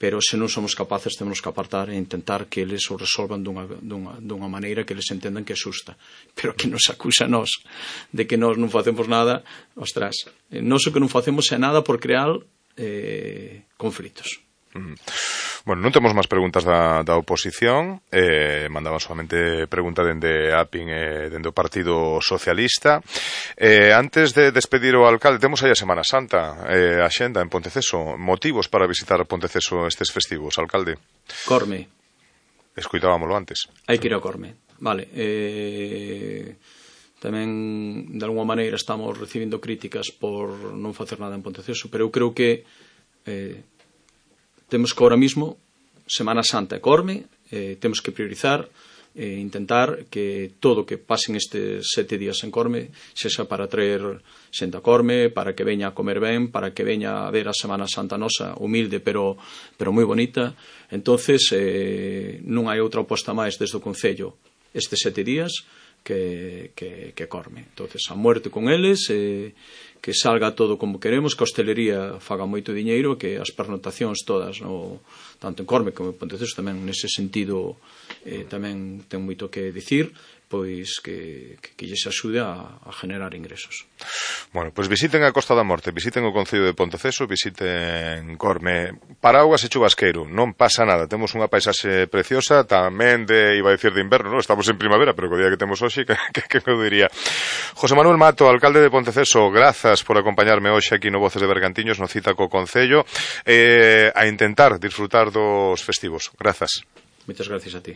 pero se non somos capaces temos que apartar e intentar que eles o resolvan dunha maneira que eles entendan que é xusta. Pero que nos acusa a nós de que nós non facemos nada, ostras, nós o que non facemos é nada por crear conflitos. Bueno, non temos máis preguntas da oposición. Mandaban solamente pregunta dende APIN e dende o Partido Socialista. Antes de despedir o alcalde, temos aí a Semana Santa, a xenda en Ponteceso. Motivos para visitar Ponteceso estes festivos, alcalde? Corme. Escoitábamolo antes. Hai que ir a Corme. Vale. Tamén, de alguma maneira, estamos recibindo críticas por non facer nada en Ponteceso, pero eu creo que temos que ahora mismo Semana Santa e Corme, temos que priorizar e intentar que todo o que pasen estes 7 días en Corme sexa para traer xente a Corme, para que veña a comer ben, para que veña a ver a Semana Santa nosa, humilde pero moi bonita. Entonces non hai outra aposta máis desde o Concello estes 7 días que Corme. Entonces, a muerte con eles, que salga todo como queremos, que a hostelería faga moito diñeiro, que as pernotacións todas, tanto en Corme como en Ponteceso, tamén nese sentido tamén ten moito que dicir, pois que lles axude a generar ingresos. Bueno, pois visiten a Costa da Morte, visiten o Concello de Ponteceso, visiten Corme. Paraugas e chubasqueiro, non pasa nada, temos unha paisaxe preciosa, tamén iba a decir de inverno, non? Estamos en primavera, pero co día que temos hoxe, que eu diría. José Manuel Mato, alcalde de Ponteceso, grazas por acompañarme hoxe aquí no Voces de Bergantiños, no Cita co Concello, a intentar disfrutar dos festivos. Grazas. Moitas gracias a ti.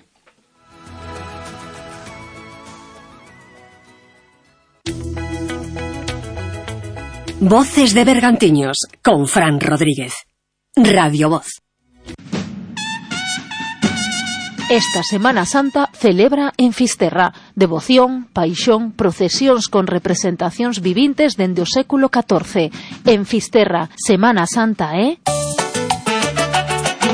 Voces de Bergantiños con Fran Rodríguez. Radio Voz. Esta Semana Santa celebra en Fisterra devoción, paixón, procesións con representacións vivintes dende o século XIV. En Fisterra, Semana Santa é...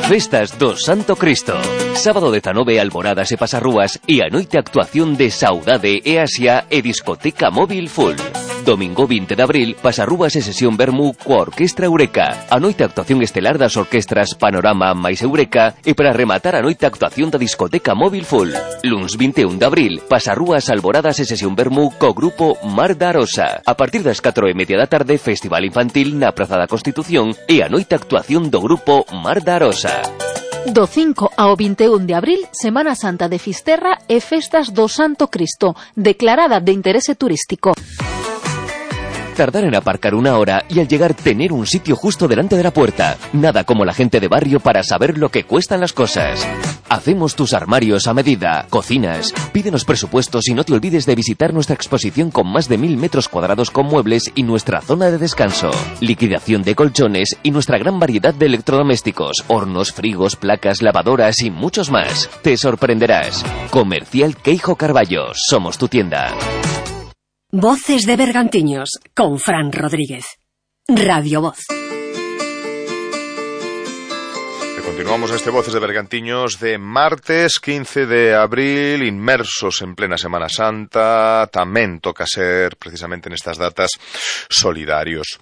Festas do Santo Cristo. Sábado 19, alboradas e pasarrúas e a noite actuación de Saudade e Asia e discoteca móvil full. Domingo 20 de abril, pasarrúas e sesión vermú coa Orquestra Eureka. A noite actuación estelar das orquestras Panorama máis Eureka e para rematar a noite actuación da discoteca móvil full. Luns 21 de abril, pasarrúas, alboradas e sesión vermú co grupo Mar da Arosa. A partir das 4:30 da tarde, festival infantil na Praza da Constitución e a noite actuación do grupo Mar da Arosa. Do 5 ao 21 de abril, Semana Santa de Fisterra e Festas do Santo Cristo, declarada de interese turístico. Tardar en aparcar una hora y al llegar tener un sitio justo delante de la puerta. Nada como la gente de barrio para saber lo que cuestan las cosas. Hacemos tus armarios a medida, cocinas, pídenos presupuestos y no te olvides de visitar nuestra exposición con más de 1000 metros cuadrados con muebles y nuestra zona de descanso. Liquidación de colchones y nuestra gran variedad de electrodomésticos, hornos, frigos, placas, lavadoras y muchos más. Te sorprenderás. Comercial Queijo Carballo, somos tu tienda. Voces de Bergantiños con Fran Rodríguez. Radio Voz. Continuamos este Voces de Bergantiños de martes 15 de abril, inmersos en plena Semana Santa. Tamén toca ser, precisamente nestas datas, solidarios.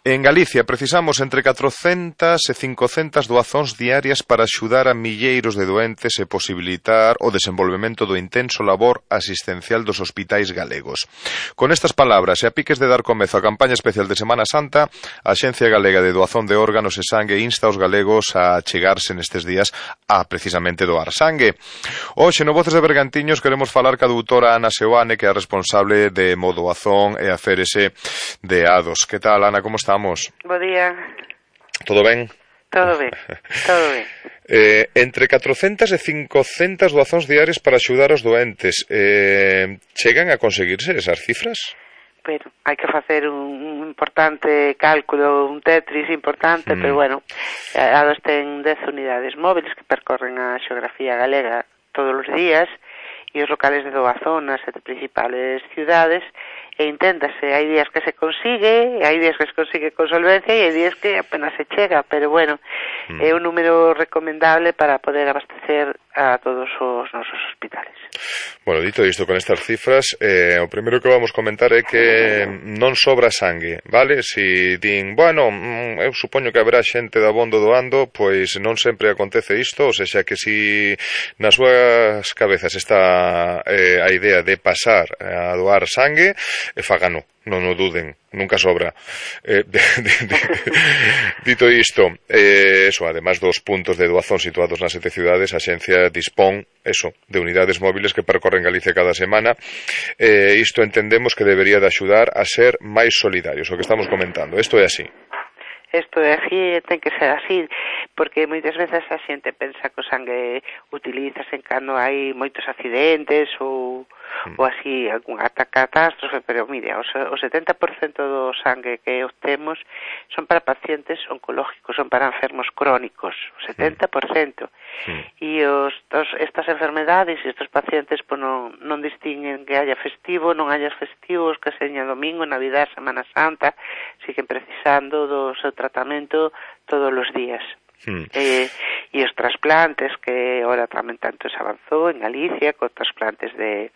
En Galicia precisamos entre 400 e 500 doazóns diarias para axudar a milleiros de doentes e posibilitar o desenvolvemento do intenso labor asistencial dos hospitais galegos. Con estas palabras e a piques de dar comezo á campaña especial de Semana Santa, a Axencia Galega de Doazón de Órganos e Sangue insta aos galegos a chegarse nestes días a precisamente doar sangue. Hoxe no Voces de Bergantiños queremos falar ca doutora Ana Seoane, que é a responsable de Modoazón e a Férese de Ados. Que tal, Ana, como estamos? Bo día. Todo ben? Todo ben, todo ben. Entre 400 e 500 doazóns diarias para axudar os doentes. Chegan a conseguirse esas cifras? Pero hai que facer un importante cálculo, un tetris importante, pero bueno, Ados ten 10 unidades móviles que percorren a xeografía galega todos os días e os locales de doazón nas 7 principales ciudades, e inténtase, hai días que se consigue, hai días que se consigue con solvencia e hai días que apenas se chega, pero bueno, é un número recomendable para poder abastecer a todos os nosos hospitales. Bueno, dito isto, con estas cifras, o primeiro que vamos comentar é que non sobra sangue, vale? Si din, bueno, eu supoño que haberá xente da abondo doando, pois non sempre acontece isto, ou seja, que si nas súas cabezas está a idea de pasar a doar sangue, fágano, non o duden, nunca sobra. Dito isto, eso, además dos puntos de doazón situados nas 7 ciudades, a Xencia dispón, eso, de unidades móviles que percorren Galicia cada semana. Isto entendemos que debería de axudar a ser máis solidarios, o que estamos comentando. Isto é así. Isto é así, ten que ser así, porque moitas veces a xente pensa que o sangue utilízase cando hai moitos accidentes ou así, algunha catástrofe, pero mire, o 70% do sangue que obtemos son para pacientes oncológicos, son para enfermos crónicos, o 70%. E estas enfermedades e estes pacientes pues, non distinguen que haya festivo, non haya festivos, que seña domingo, Navidad, Semana Santa, siguen precisando do seu tratamento todos os días. E os trasplantes, que ahora tamén tanto se avanzou en Galicia, con trasplantes de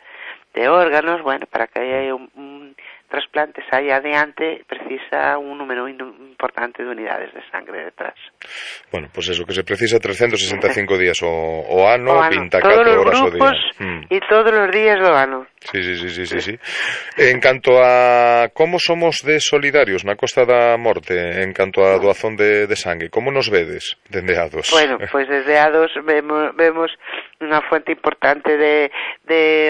órganos, bueno, para que haya un trasplante saia adiante, precisa un número importante de unidades de sangre detrás. Bueno, pues eso, que se precisa 365 días o ano, 24 horas o día. E todos os días do ano. Sí. En canto a como somos de solidarios na Costa da Morte, en canto a doazón de sangue, como nos vedes dende Ados? Bueno, pues desde Ados vemos unha fuente importante de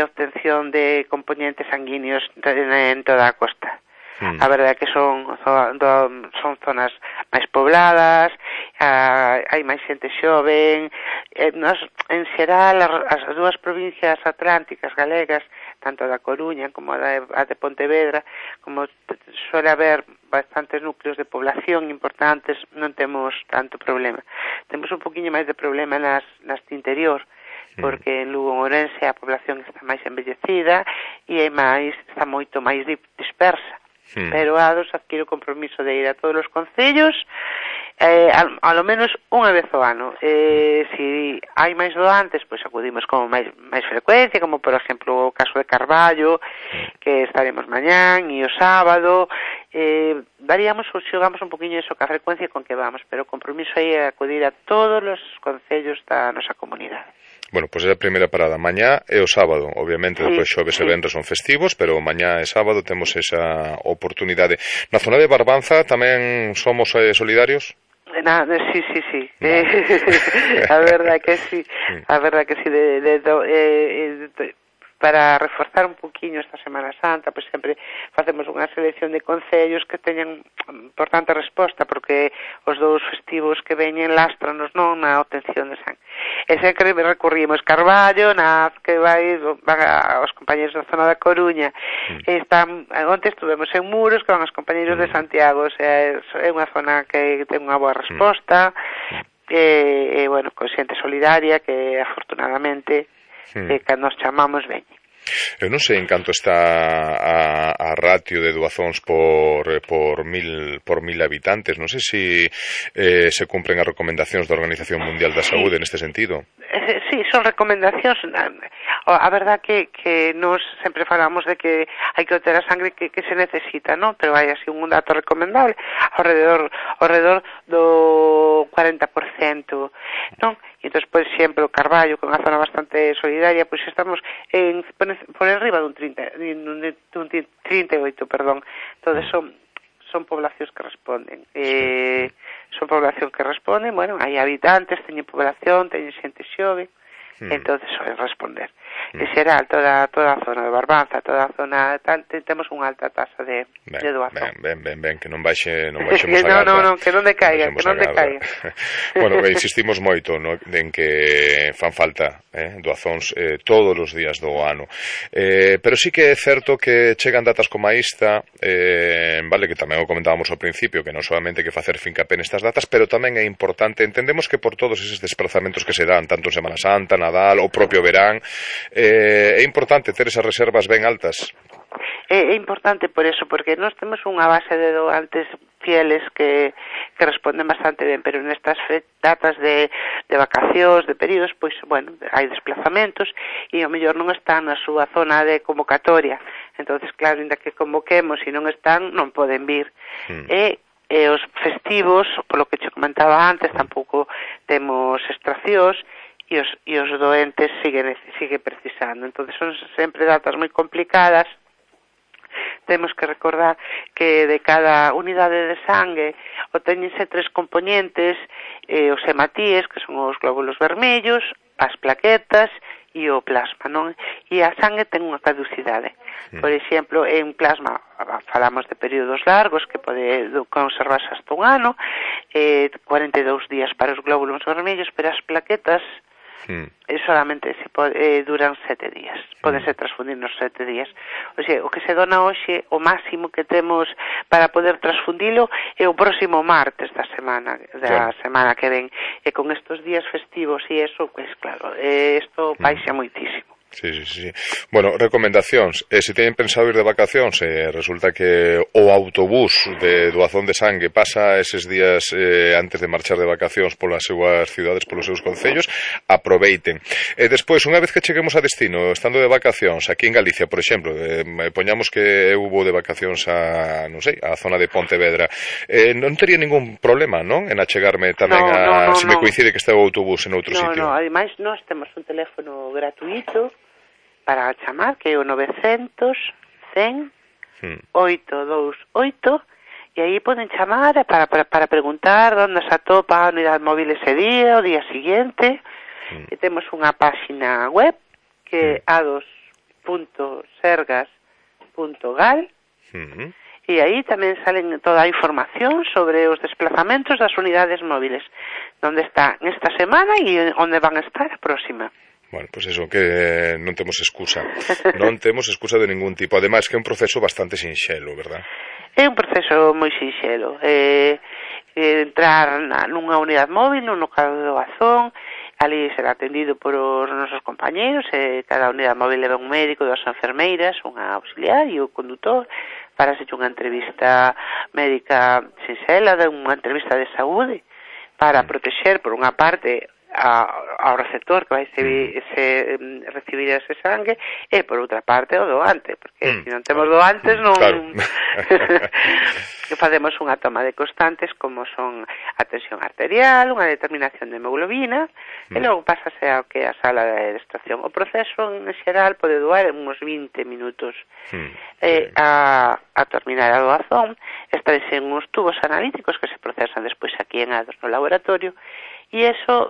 obtención de componentes sanguíneos en toda a costa. A verdade é que son zonas máis pobladas, hai máis xente xoven, en xeral as dúas provincias atlánticas galegas, tanto da Coruña como a de Pontevedra, como suele haber bastantes núcleos de población importantes, non temos tanto problema. Temos un poquinho máis de problema nas de interior, porque en Lugo e Ourense a población está máis envellecida e está moito máis dispersa. Pero Ados adquire o compromiso de ir a todos os concellos a lo menos unha vez ao ano. Si hai máis doantes, pois acudimos con máis frecuencia, como por exemplo o caso de Carballo, que estaremos mañán e o sábado. Varíamos ou xogamos un poquinho iso ca frecuencia con que vamos, pero o compromiso aí é acudir a todos os concellos da nosa comunidade. Bueno, pois é a primeira parada mañá e o sábado. Obviamente, depois xoves e venres son festivos, pero mañá e sábado temos esa oportunidade. Na zona de Barbanza tamén somos solidarios? Sí. A verdade que sí. A verdade que sí. Para reforzar un poquinho esta Semana Santa, pois sempre facemos unha selección de concellos que teñan importante resposta, porque os dous festivos que veñen lástranos non na obtención de sangue. E sempre recurrimos Carballo, que van os compañeros da zona da Coruña, onte estuvemos en Muros, que van os compañeros de Santiago, é unha zona que ten unha boa resposta, e bueno, con xente solidaria que afortunadamente que nos chamamos veñe. Eu non sei en canto está a ratio de doazóns por mil habitantes. Non sei se cumpren as recomendacións da Organización Mundial da Saúde neste sentido. Sí, son recomendacións. A verdad que nos sempre falamos de que hai que obter a sangre que se necesita, non? Pero hai así un dato recomendable ao redor do 40%, non? E entón, por exemplo, Carballo, que é unha zona bastante solidaria, pois estamos por enriba dun 38, perdón. Entón, son poblacións que responden. Son poblacións que responden, bueno, hai habitantes, teñen población, teñen xente xove, entonces soen responder. En xeral, toda a zona de Barbanza, toda a zona tal, temos unha alta tasa de doazón. Ben, que non baixemos a garda. Non, que non decaiga, Bueno, insistimos moito en que fan falta doazóns todos os días do ano. Pero sí que é certo que chegan datas como esta, vale, que tamén o comentábamos ao principio, que non solamente que facer fincapé nestas datas, pero tamén é importante, entendemos que por todos eses desplazamentos que se dan, tanto en Semana Santa, Nadal, o propio verán, é importante ter esas reservas ben altas. É importante por eso, porque nós temos unha base de doantes fieles que responden bastante ben, pero nestas datas de vacacións, de períodos, pois, bueno, hai desplazamentos e ao mellor non están na súa zona de convocatoria. Entonces, claro, ainda que convoquemos e non están, non poden vir. E os festivos, polo que che comentaba antes, tampouco temos extraccións, e os doentes sigue precisando. Entonces son sempre datas moi complicadas. Temos que recordar que de cada unidade de sangue obtéñense 3 componentes, os hematíes, que son os glóbulos vermellos, as plaquetas e o plasma, non? E a sangue ten unha caducidade. Por exemplo, en plasma falamos de períodos largos que pode conservarse hasta un ano, 42 días para os glóbulos vermellos, pero as plaquetas solamente duran 7 días, podense transfundir nos 7 días. O sea, o que se dona hoxe, o máximo que temos para poder transfundilo é o próximo martes da semana que ven, e con estos días festivos e eso, pues claro, isto baixa moitísimo. Sí. Bueno, recomendacións. Se teñen pensado ir de vacacións, resulta que o autobús de doazón de sangue pasa eses días antes de marchar de vacacións polas súas cidades, polos seus concellos, aproveiten. Despois, unha vez que cheguemos a destino, estando de vacacións, aquí en Galicia, por exemplo, poñamos que eu vou de vacacións a, non sei, a zona de Pontevedra, non tería ningún problema, non? En achegarme tamén se me coincide que está o autobús en outro sitio. No, ademais, nós temos un teléfono gratuito para chamar, que é o 900 100 828, e aí poden chamar para preguntar onde se atopa a unidade móvil ese día, o día siguiente. E temos unha páxina web que é ados.sergas.gal, e aí tamén salen toda a información sobre os desplazamentos das unidades móviles, onde está esta semana e onde van a estar a próxima. Bueno, pues eso, que non temos excusa. Non temos excusa de ningún tipo. Ademais, que é un proceso bastante sinxelo, verdad? É un proceso moi sinxelo. Entrar nunha unidade móvil, nun local de doazón, ali será atendido por os nosos compañeros, cada unidade móvil leva un médico, 2 enfermeiras, unha auxiliar e o condutor, para hacer unha entrevista médica sinxela, unha entrevista de saúde, para protexer, por unha parte, ao receptor que vai recibir ese sangue, e por outra parte o doante, porque se non temos doantes non facemos unha toma de constantes como son a tensión arterial, unha determinación de hemoglobina, e logo pásase ao que é a sala de extracción. O proceso en xeral pode durar uns 20 minutos. A terminar a doazón estarese en uns tubos analíticos que se procesan despois aquí en Ados no laboratorio, e eso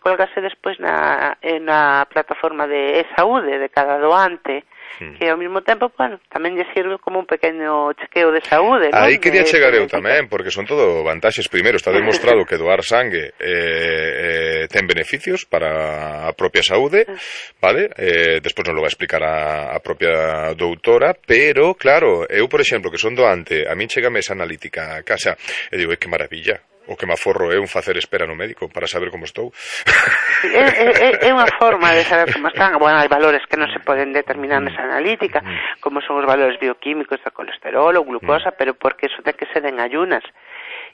colgase despois na plataforma de e-saúde de cada doante, que ao mesmo tempo, bueno, tamén lle sirve como un pequeno chequeo de saúde, non? Aí quería chegar eu tamén, porque son todo vantaxes. Primeiro, está demostrado que doar sangue ten beneficios para a propia saúde, vale? Despois nos lo vai explicar a propia doutora, pero, claro, eu, por exemplo, que son doante, a min chegame esa analítica a casa, e digo, que maravilla. O que me aforro é un facer espera no médico para saber como estou. É unha forma de saber como están. Bueno, hai valores que non se poden determinar nesa analítica, como son os valores bioquímicos de colesterol ou glucosa, pero porque eso ten que ser en ayunas.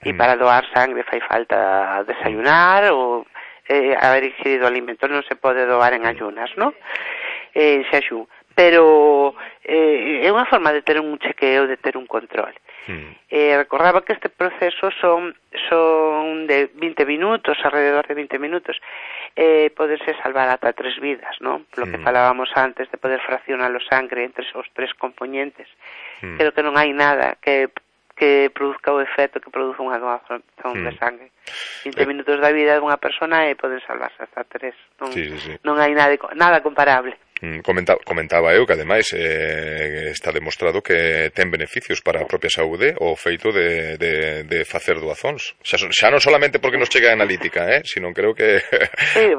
E para doar sangre fai falta desayunar ou haber ingerido alimento, non se pode doar en ayunas, non? Xaxú. Pero é unha forma de ter un chequeo, de ter un control. Recordaba que este proceso son de 20 minutos, alrededor de 20 minutos. Poderse salvar ata 3 vidas, non? Lo que falábamos antes de poder fraccionar o sangre entre os 3 componentes. Creo que non hai nada que produzca o efecto que produce unha doación de sangre. 20 minutos da vida dunha persona e poden salvarse hasta 3. Non hai nada comparable. Comentaba eu que ademais está demostrado que ten beneficios para a propia saúde o feito de facer doazóns. Xa non solamente porque nos chega a analítica, sino creo que... Sí,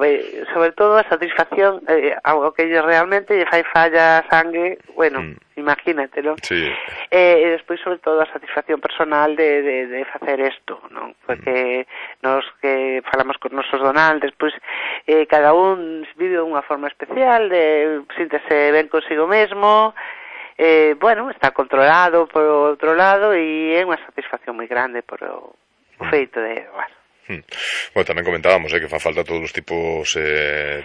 sobre todo a satisfacción, algo que realmente lle fai falla a sangue, bueno, imagínate, non? Sí. E despois, sobre todo, a satisfacción personal de facer isto, non? Porque nos que falamos con nosos donantes, pois cada un vive de unha forma especial, síntese ben consigo mesmo, bueno, está controlado por outro lado e é unha satisfacción moi grande por o feito de doar. Bueno, tamén comentábamos que fa falta todos os tipos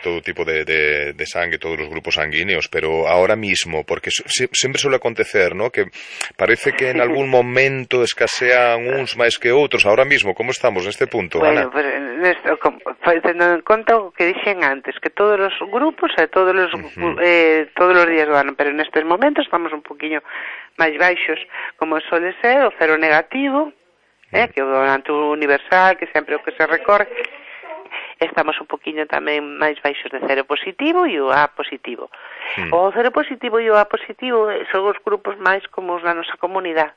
todo tipo de sangue, todos os grupos sanguíneos, pero ahora mismo, porque sempre suele acontecer, ¿no? Que parece que en algún momento escasean uns máis que outros. Ahora mismo, como estamos neste punto, Ana? Bueno, pues, tendo en conta o que dixen antes, que todos os grupos todos os días do ano, pero nestes momentos estamos un poquinho máis baixos, como suele ser o cero negativo, que o donante universal, que sempre o que se recorre. Estamos un poquinho tamén máis baixos de cero positivo e o A positivo. O cero positivo e o A positivo son os grupos máis como os da nosa comunidade.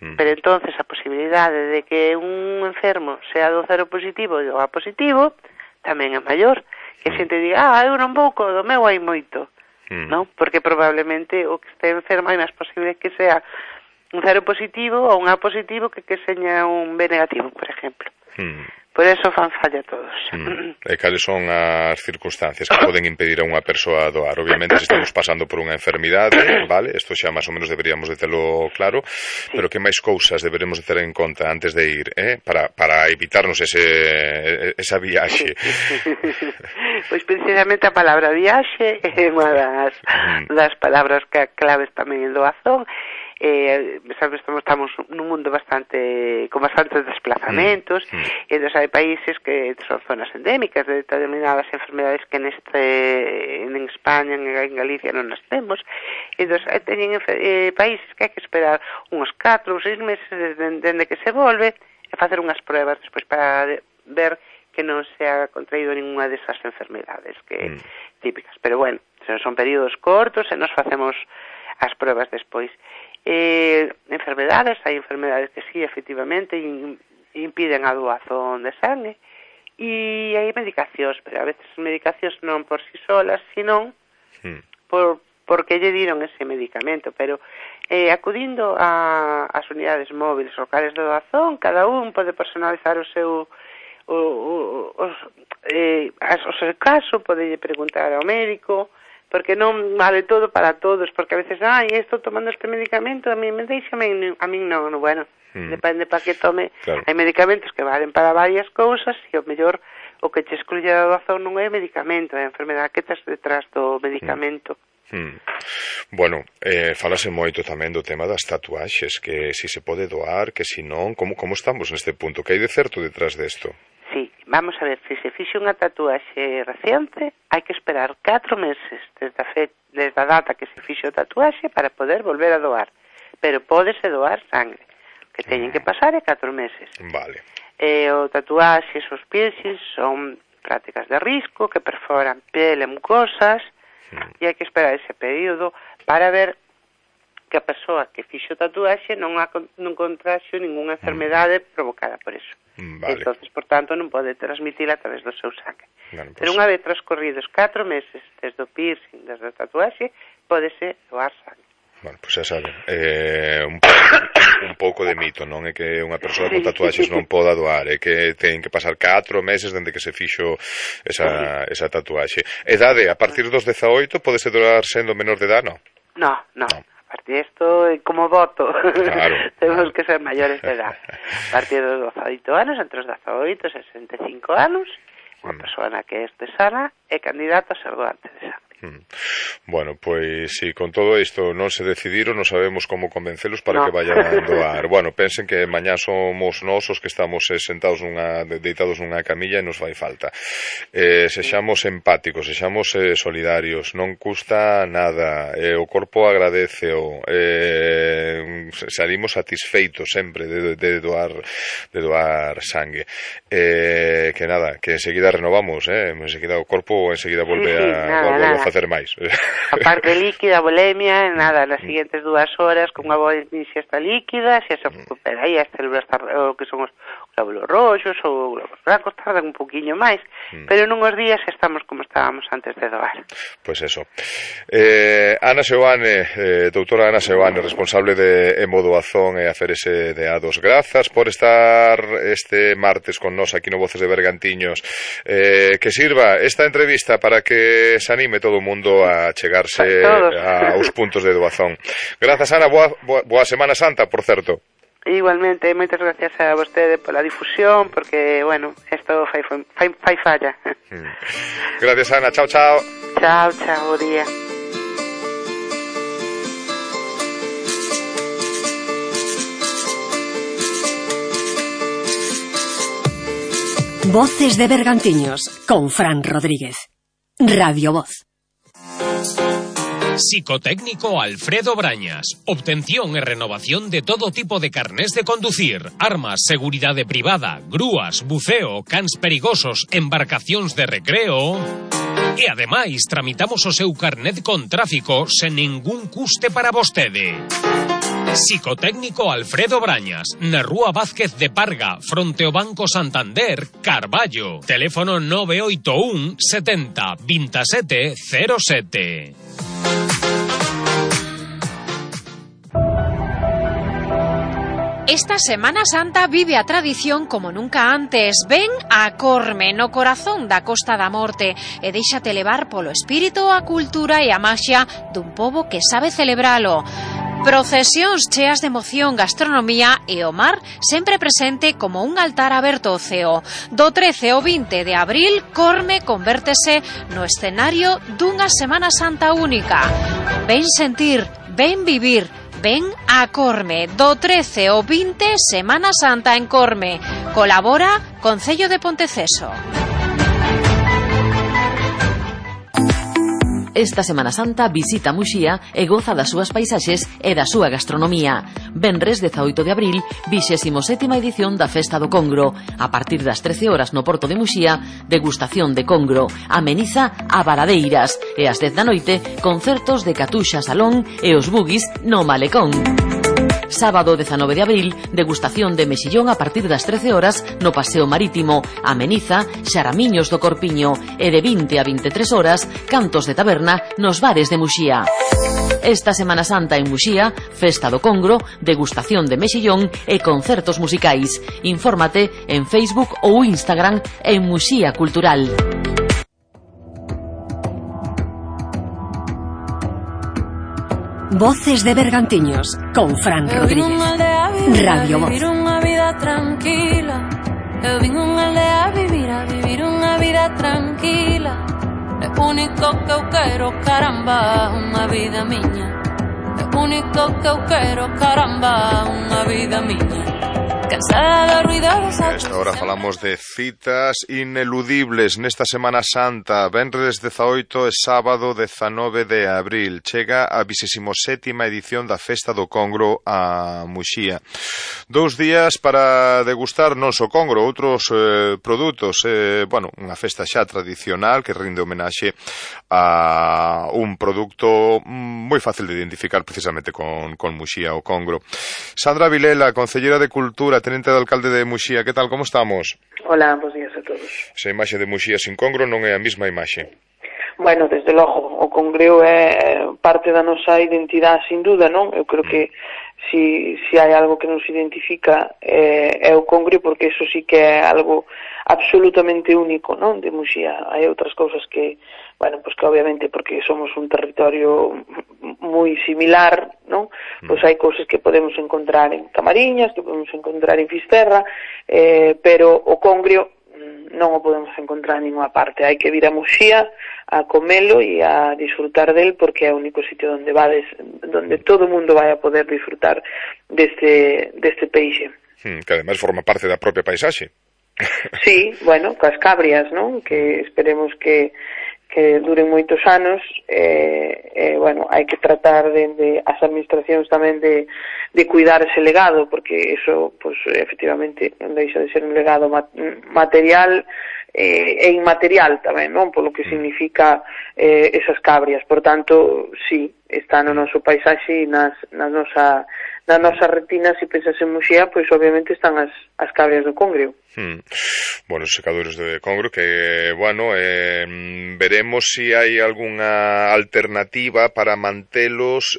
Pero entonces a posibilidade de que un enfermo sea do cero positivo e do A positivo tamén é maior. Que a xente diga, eu non vou, do meu hai moito. Non? Porque probablemente o que este enfermo é máis posible que sea un cero positivo ou un A positivo que seña un B negativo, por exemplo. Por eso fan falla todos. E cales son as circunstancias que poden impedir a unha persoa doar? Obviamente, se estamos pasando por unha enfermidade, vale, isto xa máis ou menos deberíamos de telo claro, pero que máis cousas deberemos de ter en conta antes de ir, para evitarnos esa viaxe? Pois precisamente a palabra viaxe é unha das palabras claves tamén en doazón. Estamos nun mundo con bastantes desplazamentos, e entón hai países que son zonas endémicas de determinadas enfermedades que en España, en Galicia non nas temos, e entón teñen países que hai que esperar uns 4 ou 6 meses dende que se volve e facer unhas pruebas despois para ver que non se ha contraído ninguna desas enfermedades típicas, pero bueno, son períodos cortos e nos facemos as pruebas despois. Enfermedades, hai enfermedades que sí, efectivamente impiden a doazón de sangue, e hai medicacións, pero a veces medicacións non por si solas, sino porque lle diron ese medicamento, pero acudindo ás unidades móviles locales de doazón, cada un pode personalizar o seu caso, pode preguntar ao médico, porque non vale todo para todos, porque a veces, estou tomando este medicamento, a mí non, bueno, depende para que tome. Claro. Hai medicamentos que valen para varias cousas, e o mellor o que che excluye a doazón non é medicamento, é a enfermedade que tes detrás do medicamento. Bueno, falase moito tamén do tema das tatuaxes, que si se pode doar, que si non, como estamos neste punto, que hai de certo detrás desto? Sí, vamos a ver, se se fixe unha tatuaxe reciente, hai que esperar 4 meses desde a data que se fixe o tatuaxe para poder volver a doar. Pero pódese doar sangre. O que teñen que pasar é 4 meses. Vale. O tatuaxes, os piercings son prácticas de risco que perforan pele e mucosas, e hai que esperar ese período para ver que a persoa que fixo o tatuaxe non contraxe ningunha enfermedade provocada por eso. Vale. Entonces, por tanto, non pode transmitir a través do seu sangue. Bueno, pero unha vez transcorridos 4 meses desde o piercing, desde a tatuaxe, pódese doar sangue. Bueno, pois xa saben, un pouco de mito, non é que unha persoa con tatuaxes non poda doar, é que ten que pasar 4 meses dende que se fixo esa tatuaxe. Edade, a partir dos 18 podese doar sendo menor de edad, non? No. A partir de esto, como voto, claro. Tenemos que ser mayores de edad. A partir dos 18 anos, entre os 18 e 65 anos, unha persona que este sana é candidato a ser doante de sangue. Bueno, pois si con todo isto non se decidiron, non sabemos como convencelos para que vayan a doar. Bueno, pensen que mañá somos nós os que estamos sentados deitados nunha camilla e nos fai falta. Sexamos empáticos, sexamos solidarios, non custa nada, o corpo agradeceo, salimos satisfeitos sempre de doar sangue. Que nada, que enseguida renovamos, enseguida o corpo enseguida volve a facer máis. A parte líquida, bulimia, nada, nas seguintes 2 horas con unha boa ingesta líquida, se recupera aí as células que son os glóbulos roxos ou glóbulos blancos, tardan un poquinho máis, pero nunhos días estamos como estábamos antes de doar. Pois eso. Ana Seoane, doutora Ana Seoane, responsable de Hemodoazón e Aferese de A2, grazas por estar este martes con nós aquí no Voces de Bergantiños. Que sirva esta entrevista para que se anime todo o mundo a chegarse aos puntos de doazón. Grazas, Ana, boa Semana Santa, por certo. Igualmente, moitas gracias a vostede pola difusión, porque, bueno, isto fai falla. Gracias, Ana, chao, chao. Chao, bo día. Voces de Bergantiños, con Fran Rodríguez. Radio Voz. Psicotécnico Alfredo Brañas. Obtención e renovación de todo tipo de carnés de conducir, armas, seguridade privada, grúas, buceo, cans perigosos, embarcacións de recreo. E ademais tramitamos o seu carnet con tráfico sen ningún custe para vostede. Psicotécnico Alfredo Brañas, na Rúa Vázquez de Parga, fronte ao Banco Santander, Carballo. Teléfono 981 70 27 07. Esta Semana Santa vive a tradición como nunca antes. Ven a Corme, no corazón da Costa da Morte, e déixate levar polo espírito, a cultura e a maxia dun pobo que sabe celebralo. Procesións cheas de emoción, gastronomía e o mar sempre presente como un altar aberto ao ceo. Do 13 ao 20 de abril, Corme convértese no escenario dunha Semana Santa única. Ven sentir, ven vivir, ven a Corme. Do 13 ao 20, Semana Santa en Corme. Colabora Concello de Ponteceso. Esta Semana Santa visita Muxía e goza das súas paisaxes e da súa gastronomía. Venres 18 de abril, 27ª edición da Festa do Congro. A partir das 13 horas no Porto de Muxía, degustación de congro. Ameniza a Varadeiras. E ás 10 da noite, concertos de Catuxa Salón e os Bugis no Malecón. Sábado 19 de abril, degustación de mexillón a partir das 13 horas no Paseo Marítimo. Ameniza, Xaramiños do Corpiño. E de 20 a 23 horas, cantos de taberna nos bares de Muxía. Esta Semana Santa en Muxía, Festa do Congro, degustación de mexillón e concertos musicais. Infórmate en Facebook ou Instagram en Muxía Cultural. Voces de Bergantiños, con Fran Rodríguez. Radio Voz. Vivir unha vida tranquila. Eu vin unha aldea a vivir unha vida tranquila. É único que eu quero, caramba, unha vida miña. É único que eu quero, caramba, unha vida miña. A esta hora falamos de citas ineludibles nesta Semana Santa. Venres 18 e sábado 19 de abril chega a 27ª edición da Festa do Congro a Muxía. 2 días para degustar non só congro, outros produtos. Unha festa xa tradicional que rinde homenaxe a un produto moi fácil de identificar precisamente con Muxía, o congro. Sandra Vilela, Concelleira de Cultura, Tenente de Alcalde de Muxía, que tal, como estamos? Hola, bons días a todos. Esa imaxe de Muxía sin congro non é a mesma imaxe. Bueno, desde logo, o Congreo é parte da nosa identidade, sin duda, non? Eu creo que si hai algo que nos identifica é o Congreo, porque eso sí que é algo absolutamente único, non? De Muxía. Hai outras cousas que, bueno, pues que obviamente porque somos un territorio moi similar, non? Pois hai cousas que podemos encontrar en Camariñas, que podemos encontrar en Fisterra, pero o Congreo non o podemos encontrar en ninguna parte. Hai que vir a Muxía a comelo e a disfrutar del, porque é o único sitio onde todo o mundo vai a poder disfrutar deste peixe. Que ademais forma parte da propia paisaxe. Sí, bueno, coas cabrias, non? Que esperemos que duren moitos anos, bueno, hai que tratar de as administracións tamén de cuidar ese legado, porque eso, pues, efectivamente, non deixa de ser un legado material e inmaterial tamén, non? Polo que significa esas cabrias. Por tanto, sí, está no noso paisaxe e na nosa retina. Se pensas en Muxía, pois obviamente están as cabrias do Congreo. Bueno, os secadores de Congreo que, bueno, veremos si hai algunha alternativa para mantelos